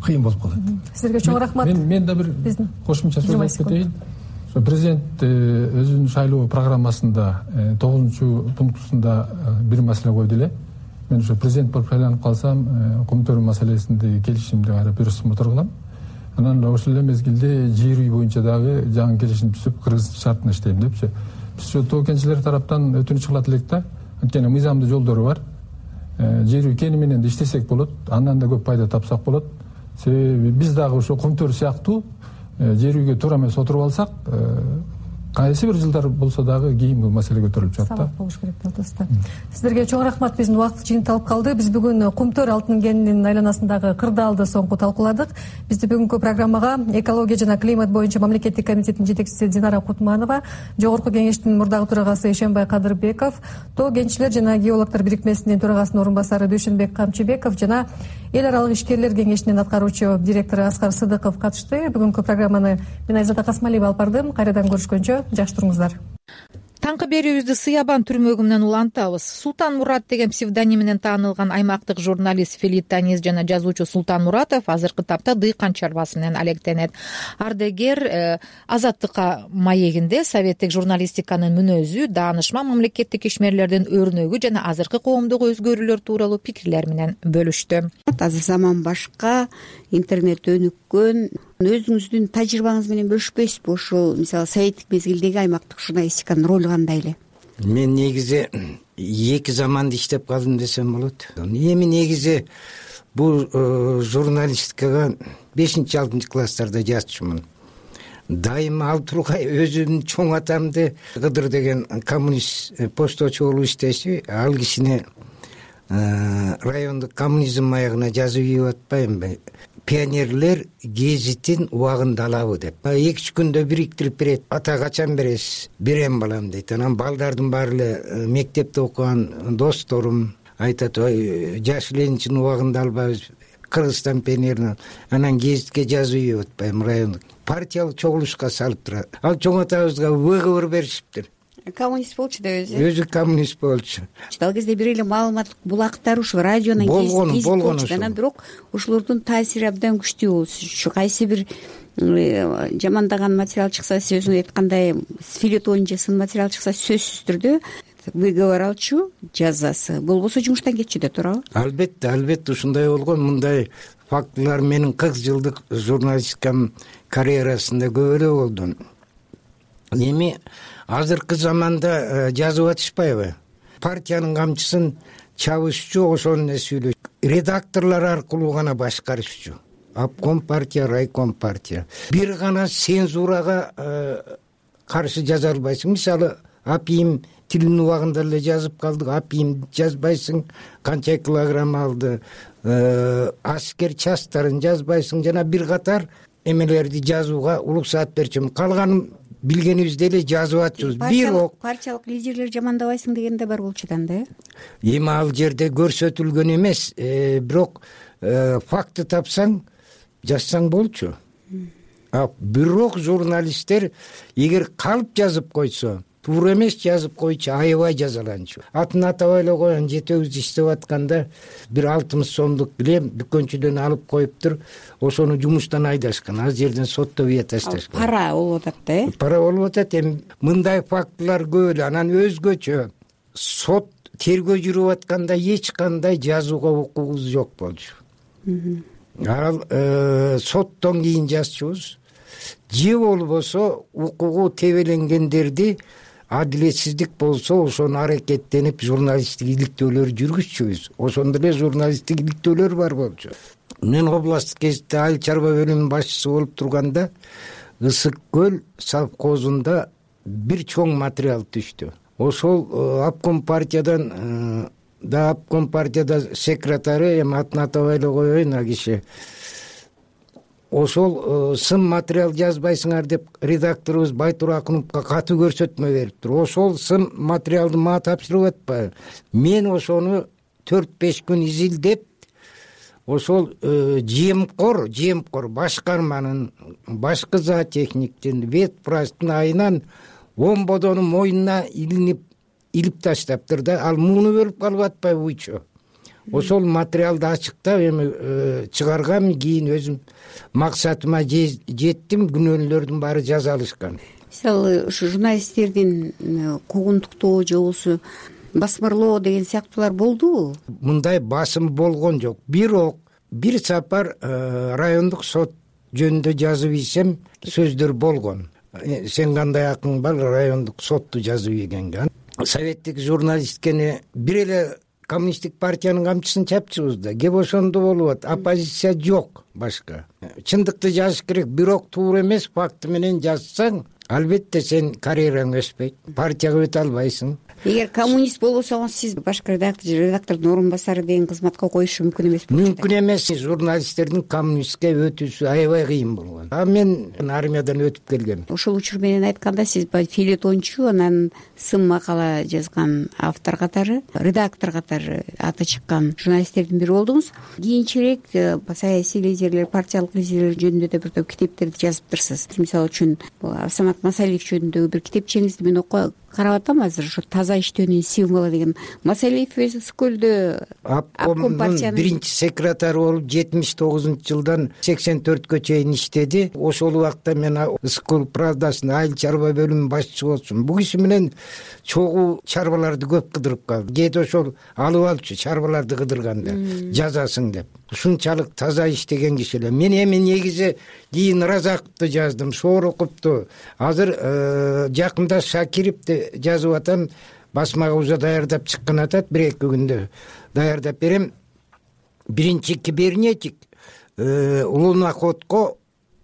[SPEAKER 15] кыйын болуп калат.
[SPEAKER 14] Сизерге чоң рахмат.
[SPEAKER 16] Мен да бир кошумча сөз айтып кетейин. Президент өзүнүн шайлоо программасында 9-пунктусунда бир маселе койду эле. Мен ошо президент болуп шайланып калсам, Көмтөр маселесинде келишимди кайра бюросуна отургулам. Анан ошол эле мезгилде жер үй боюнча дагы жаңы келишим түзүп, Кыргыз шартына иштейм депчи. Биз ошо тоо кенчилер тараптан өтүнүч кылат элек да. Анткени мыйзамдуу жолдору бар. Жер үй кени менен да иштесек болот, андан да көп пайда тапсак болот. Себеби биз дагы ошо Көмтөр сыяктуу жер үйгө туура эмес отуруп алсак, кайсы бир жылдар болсо дагы кийин бул маселе көтөрүлүп жатат.
[SPEAKER 14] Сабак болуш керек деп атасыздар. Сиздерге чоң рахмат. Биздин убакыт жыйынталып калды. Биз бүгүн Кумтөр алтын кенинин айланасындагы кырдаалды соңку талкууладык. Бизди бүгүнкү программага экология жана климат боюнча мамлекеттик комитеттин жетекчиси Динара Кутманова, Жогорку кеңештин мурдагы төрагасы Эшенбай Кадырбеков, Тоо кенчилер жана геологдор бирикмесинин төрагасынын орун басары Дүйшөнбек Камчыбеков жана эл аралык ишкерлер кеңешинин аткаруучу директору Аскар Сыдыков катышты. Бүгүнкү программаны мен Айзада Касмалиева алып бардым. Кайрадан көрүшкөнчө жакшы туруңуздар.
[SPEAKER 1] Таңкы берүүбүздү Сыябан түрмөгү менен улантабыз. Султан Мурат деген псевдоним менен таанылган аймактык журналист, филитонист жана жазуучу Султан Муратов азыркы тапта дыйкан чарбасы менен алектенет. Ардегер Азаттыкка маегинде советтик журналистиканын мүнөзү, даанышман мамлекеттик ишмерлердин өрнөгү жана азыркы коомдук өзгөрүүлөр тууралуу пикирлер менен бөлүштү.
[SPEAKER 19] Азыр заман башка, интернет өнүккөн. Өзүңүздүн тажрыйбаңыз менен бөлүшпөйсүзбү? Ушул мисалы советтик мезгилдеги аймактык журналистиканын ролу кандай эле?
[SPEAKER 20] Мен негизи эки заманда иштеп калдым десем болот. Эми негизи бул журналистикага 5-6 класстарда жазчумун. Дайыма ал тургай өзүмдүн чоң атамды Кыдыр деген коммунист пошточу болуп иштеши, ал кишине райондук коммунизм маягына жазып ийип атпаймынбы? Пионерлер гезитин убагында алабы деп. 2-3 күндө бириктирип берет. Ата качан бересиз? Берем балам дейт. Анан балдардын баары эле мектепте окуган досторум айтат, ой, жаш Ленинчин убагында албайбыз. Кыргызстан пионерин. Анан гезитке жазып ийип атпайм райондук. Партиялык чогулушка салып турат. Ал чоң атабызга выговор беришиптир.
[SPEAKER 19] Коммунист болчу да өзү.
[SPEAKER 20] Өзү коммунист болчу.
[SPEAKER 19] Ал кезде бир эле маалыматтык булактар ушу радионун болгон. Анан бирок ушулордун таасири абдан күчтүү болчу. Кайсы бир жамандаган материал чыкса, сиз өзүңүз айткандай филетон же сын материал чыкса, сөзсүз түрдө выговор алчу, жазасы, болбосо жумуштан кетчү да туурабы?
[SPEAKER 20] Албетте ушундай болгон. Мындай фактылар менин 40 жылдык журналистикам карьерасында көп эле болду. Эми азыркы заманда жазып атышпайбы? Партиянын камчысын чабышчу, ошону сүйлөшчү. Редакторлор аркылуу гана башкарышчу. Обком партия, райком партия. Бир гана цензурага каршы жаза албайсың. Мисалы, апийим тилин убагында эле жазып калдык, апийим жазбайсың, канча килограмм алды, аскер частарын жазбайсың, жана бир катар эмелерди жазууга уруксаат берчүмүн. Калганын билгенибизди эле жазып атчыбыз. Бирок
[SPEAKER 19] партиялык лидерлер жамандабайсың деген да бар болчу да,
[SPEAKER 20] эми ал жерде көрсөтүлгөн эмес, бирок факты тапсаң жазсаң болчу. Бирок журналисттер эгер калып жазып койсо, туура эмес жазып койчу, аябай жазаланчу. Атын атабай эле коеюн, жетебиз иштеп атканда бир 60 сомдук килем дүкөнчүдөн алып коюптур, ошону жумуштан айдашкан, ал жерден сотто бие ташташкан.
[SPEAKER 19] Пара болуп атат да,
[SPEAKER 20] Пара болуп атат. Эми мындай фактылар көп эле. Анан өзгөчө сот тергөө жүрүп атканда эч кандай жазууга укугубуз жок болчу. Ал соттон кийин жазчубуз. Же болбосо укугу тебеленгендерди адилетсиздик болсо ошону аракеттенип журналисттик иликтөөлөр жүргүзчүбүз. Ошондо эле журналисттик иликтөөлөр бар болчу. Мен областтык гезитте айыл чарба бөлүмүнүн башчысы болуп турганда Ысык көл совхозунда бир чоң материал түштү. Ошол обком партиядан обком партияда секретары, эми атын атабай эле коеюн, а киши ошол сын материал жазбайсыңар деп редакторубуз Байтур Акуновго катуу көрсөтмө бериптир. Ошол сын материалды мага тапшырып атпайбы? Мен ошону 4-5 күн изилдеп, ошол жемкор башкарманын, башкы зоотехниктин, ветпрачтын айынан 10 бодону мойнуна илип таштаптыр да. Ал мууну бөлүп калып атпайбы буйчу? Ошол материалды ачыктап эми чыгаргам, кийин өзүм максатыма жеттим, күнөөлөрдүн баары жазалышкан.
[SPEAKER 19] Мисалы, ушу журналисттердин куугунтуктоо же болбосо басмырлоо деген сыяктуулар болдубу?
[SPEAKER 20] Мындай басым болгон жок. Бирок бир сапар райондук сот жөнүндө жазып ийсем сөздөр болгон. Сен кандай акың бар райондук сотту жазып ийгенге? Советтик журналисткени бир эле коммунисттик партиянын камчысын чапчыбыз да. Кеп ошондо болуп атат. Оппозиция жок башка. Чындыкты жазыш керек, бирок туура эмес факты менен жазсаң, албетте сен карьераң өспөйт. Партияга өтө албайсың.
[SPEAKER 19] Эгер коммунист болбосоңуз, сиз башкы редактордун орун басары деген кызматка коюшу мүмкүн эмес болчу.
[SPEAKER 20] Мүмкүн эмес. Журналисттердин коммунистке өтүүсү аябай кыйын болгон. Мен армиядан өтүп келгем.
[SPEAKER 19] Ошол учур менен айтканда, сиз филетончу, анан сын макала жазган автор катары, редактор катары аты чыккан журналисттердин бири болдуңуз. Кийинчерээк саясий лидерлер, партиялык лидерлер жөнүндө да бир топ китептерди жазыптырсыз. Мисалы үчүн Самат Масалиев жөнүндөгү бир китепчеңизди мен карап атам азыр, ошо таза иштөөнүн символу деген. Масалиев Ысыккөлдө обком партиянын
[SPEAKER 20] биринчи секретары болуп 79-жылдан 84-кө чейин иштеди. Ошол убакта мен Ысыккөл правдасынын айыл чарба бөлүмүнүн башчысы болчумун. Бул киши менен чогуу чарбаларды көп кыдырып калды. Кээде ошол алып алчу чарбаларды кыдырганда жазасың деп. Ушунчалык таза иштеген киши эле. Мен эми негизи кийин Разаковду жаздым, Шороковду. Азыр жакында Шакировду жазып атам. Басмага уже даярдап чыккан атат, 1-2 күндө даярдап берем. Биринчи кибернетик луноходко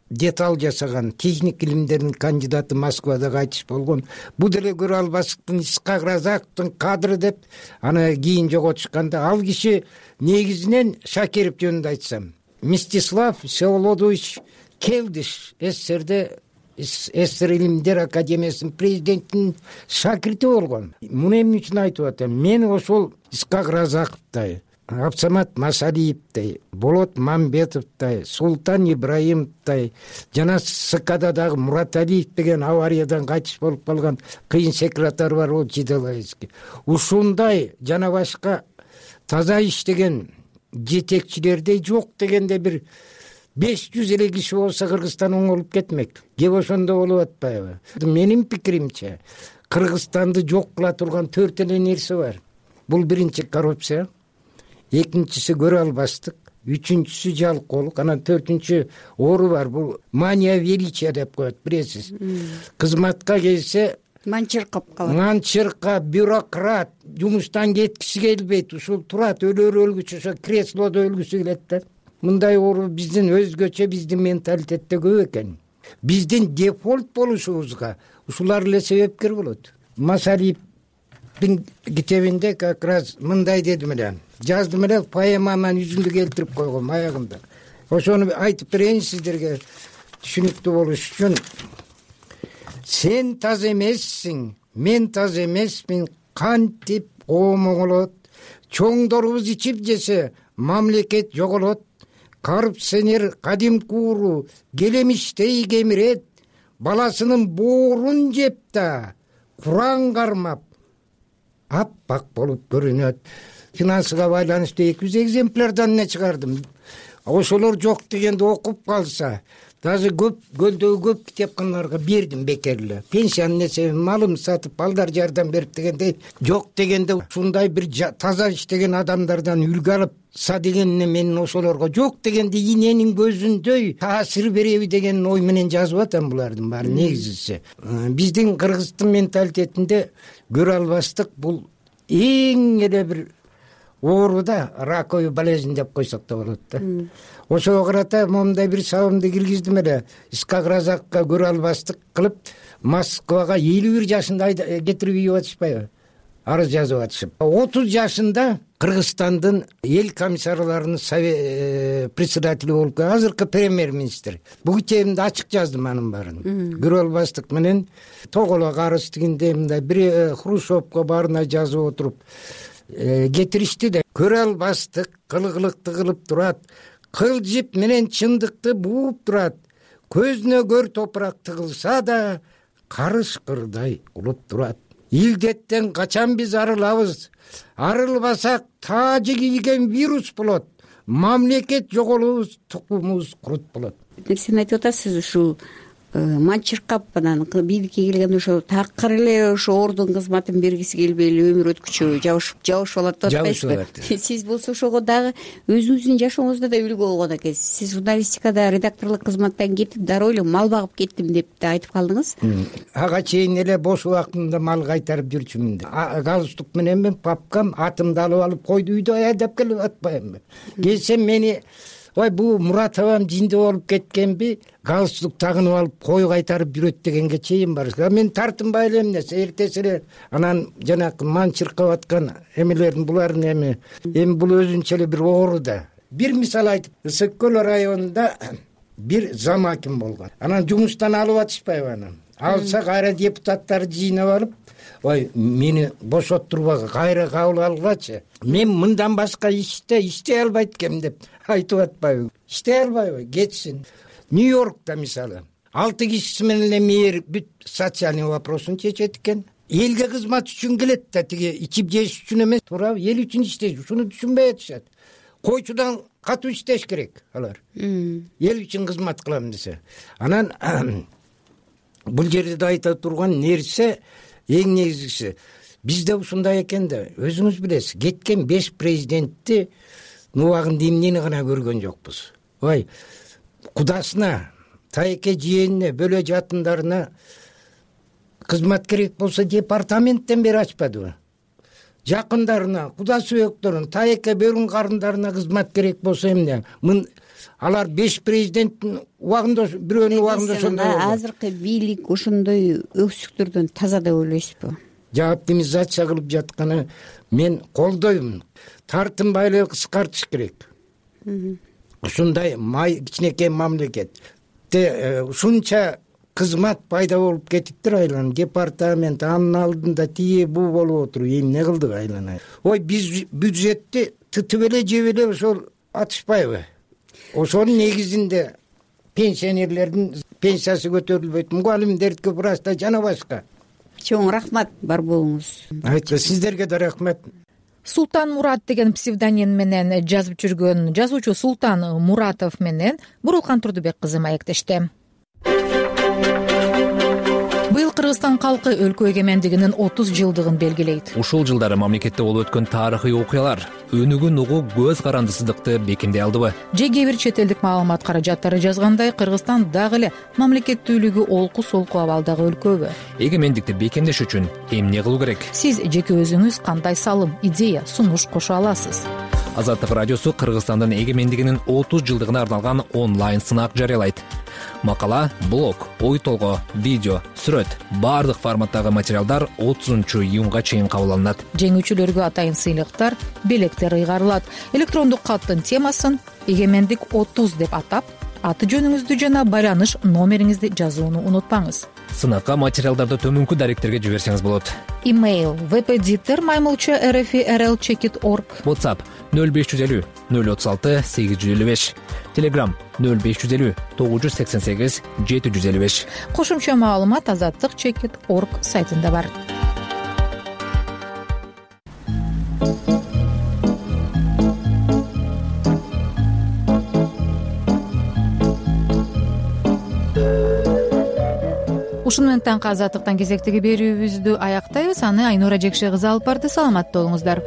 [SPEAKER 20] деталь жасаган, техник илимдеринин кандидаты Москвада кайтыш болгон. Бул деле көрө албастыктын Исхак Разаковдун кадры деп аны кийин жоготушканда, ал киши негизинен Шакиров жөнүндө айтсам, Мстислав Всеволодович Келдиш, СССР Илимдер Академиясынын президентинин шакирти болгон. Муну эмне үчүн айтып атам? Мен ошол Исхак Разаковдай, Абсамат Масалиевдей, Болот Мамбетовдой, Султан Ибраимовдой, жана СКда дагы Мураталиев деген авариядан кайтыш болуп калган кыйын секретарь бар, ол Жиделаевский. Ушундай жана башка таза иштеген жетекчилердей жок дегенде бир 500 эле киши болсо Кыргызстан оңолуп кетмек. Кеп ошондо болуп атпайбы? Менин пикиримче, Кыргызстанды жок кыла турган 4 эле нерсе бар. Бул биринчи коррупция, экинчиси көрө албастык, үчүнчүсү жалкоолук, анан 4-үнчү оору бар. Бул мания величия деп коет, билесиз. Кызматка келсе
[SPEAKER 19] манчыркап калат.
[SPEAKER 20] Манчыркап, бюрократ, жумуштан кеткиси келбейт, ушул турат өлгүчү ошо креслодо өлгүсү келет да. Мындай оору биздин өзгөчө биздин менталитетте көп экен. Биздин дефолт болушубузга ушулар эле себепкер болот. Масалиевдин китебинде как раз мындай дедим эле, жаздым эле, поэмаман жүзүндө келтирип койгом аягында. Ошону айтып берейин сиздерге түшүнүктүү болуш үчүн. Сен таз эмессиң, мен таз эмесмин, кантип коом оңолот. Чоңдорубуз ичип жесе, мамлекет жоголот. Коррупционер кадимки ууру келемиштей кемирет. Баласынын боорун жеп да, Куран кармап, аппак болуп көрүнөт. Финансыга байланыштуу 200 экземплярдан не чыгардым. Ошолор жок дегенде окуп калса, даже көлдөгү көп китепканаларга бердим бекер эле. Пенсиянын эсебин малым сатып, балдар жардам берип дегенде жок дегенде ушундай бир таза иштеген адамдардан үлгү алыпса дегенне мен ошолорго жок дегенде иненин көзүндөй таасир береби деген ой менен жазып атам булардын баары негизиси. Биздин кыргыздын менталитетинде көрө албастык бул эң эле бир оору да, раковый болезнь деп койсок да болот да. Ошого карата момундай бир сабымды киргиздим эле. Искак Разакка көрө албастык кылып Москвага 51 жашында кетирип ийип атышпайбы? Арыз жазып атышып. 30 жашында Кыргызстандын эл комиссарларынын председатели болуп, азыркы премьер-министр. Бул китебимде ачык жаздым анын баарын. Көрө албастык менен тоголок арыз дегенде мындай бир Хрущевко баарына жазып отуруп кетиришти да. Көрө албастык кылгылыкты кылып турат. Кылжып менен чындыкты бууп турат. Көзүнө көр топурак тыгылса да, карышкырдай улуп турат. Илдеттен качан биз арылабыз? Арылбасак таажы кийген вирус болот. Мамлекет жоголубуз, тукумубуз курут болот.
[SPEAKER 19] Сен айтып атасыз, ушул манчыркап анан бийликке келген ошо такыр эле ошо ордун кызматын бергиси келбей эле өмүр өткүчү жабышып алат деп атпайсызбы? Сиз болсо ошого дагы өзүңүздүн жашооңузда да үлгү болгон экенсиз. Сиз журналистикада редакторлук кызматтан кетип дароо эле мал багып кеттим деп да айтып калдыңыз. Ага
[SPEAKER 20] чейин эле бош убактымда мал кайтарып жүрчүмүн деп. Галстук менен мен папкам атымды алып алып койду үйдө айдап келип атпаймынбы? Келсем мени ой бул Муратовам жинде болуп кеткенби, галстук тагынып алып кой кайтарып жүрөт дегенге чейин бар. Мен тартынбай элем нерсе, эртеси эле анан жанакы манчыркап аткан эмелердин булардын эми бул өзүнчө эле бир оору да. Бир мисал айтып, Ысык көл районунда бир зам аким болгон. Анан жумуштан алып атышпайбы анан? Алса кайра депутаттарды жыйнап алып, ой мени бошоттурбагы, кайра кабыл алгачы. Мен мындан башка иштей албайт экем деп айтып атпайбы? Иштей албайбы? Кетсин. Нью-Йоркта мисалы 6 кишиси менен эле мэр бүт социальный вопросун чечет экен. Элге кызмат үчүн келет да, тиги ичип жеш үчүн эмес, туурабы? Эл үчүн иштейт. Ушуну түшүнбөй атышат. Койчудан катуу иштеш керек алар. Эл үчүн кызмат кылам десе. Анан бул жерде да айта турган нерсе эң негизгиси бизде ушундай экен да, өзүңүз билесиз, кеткен 5 президентти убагында эмнени гана көргөн жокпуз. Ой, кудасына, тайке жиенине, бөлө жатындарына кызмат керек болсо департаменттен бери ачпадыбы? Жакындарына, куда сүйөктөрүн, тайке бөрүн карындарына кызмат керек болсо эмне? Алар 5 президенттин убагында бирөөнүн убагында ошондой болду.
[SPEAKER 19] Азыркы бийлик ошондой өксүктөрдөн таза деп ойлойсузбу?
[SPEAKER 20] Оптимизация кылып жатканы мен колдоймун. Тартынбай эле кыскартыш керек. Ушундай кичинекей мамлекетте ушунча кызмат пайда болуп кетиптир айланып. Департамент анын алдында тие бул болуп отуруп эмне кылдык айланай. Ой, биз бюджетти тытып эле жеп эле ошол атышпайбы? Ошонун негизинде пенсионерлердин пенсиясы көтөрүлбөйт, мугалимдердики просто жана башка.
[SPEAKER 19] Чоң рахмат, бар болуңуз.
[SPEAKER 20] Айтты, сиздерге да рахмат.
[SPEAKER 1] Султан Мурат деген псевдоним менен жазып жүргөн жазуучу Султан Муратов менен Бурулкан Турдубек кызы маектешти. Быйылкы Кыргызстан калкы өлкө эгемендигинин 30 жылдыгын белгилейт.
[SPEAKER 21] Ушул жылдары мамлекетте болуп өткөн тарыхый окуялар өнүгүүн угуу көз карандысыздыкты бекемдей алдыбы?
[SPEAKER 1] Же кээ бир чет элдик маалымат каражаттары жазгандай, Кыргызстан дагы эле мамлекеттүүлүгү олку солку абалдагы өлкөбү?
[SPEAKER 21] Эгемендикти бекемдеш үчүн эмне кылуу керек?
[SPEAKER 1] Сиз жеке өзүңүз кандай салым, идея, сунуш кошо аласыз?
[SPEAKER 21] Азаттык радиосу Кыргызстандын эгемендигинин 30 жылдыгына арналган онлайн сынак жарыялайт. Макала, блог, ой толгоо, видео, сүрөт баардык форматтагы материалдар 30-июнга чейин кабыл алынат.
[SPEAKER 1] Жеңүүчүлөргө атайын сыйлыктар, белектер ыйгарылат. Электрондук каттын темасын эгемендик 30 деп атап, аты жөнүңүздү жана байланыш номериңизди жазууну унутпаңыз.
[SPEAKER 21] Сынакка материалдарды төмөнкү даректерге жиберсеңиз болот.
[SPEAKER 1] Имейл webeditor@rfi.rl.org.
[SPEAKER 21] WhatsApp 0550 036 855. Telegram 0550 988 755.
[SPEAKER 1] Кошумча маалымат azatlyk.org сайтында бар. Ушуну менен таңкы азаттыктан кезектеги берүүбүздү аяктайбыз. Аны Айнура Жекше кызы алып барды. Саламатта болуңуздар.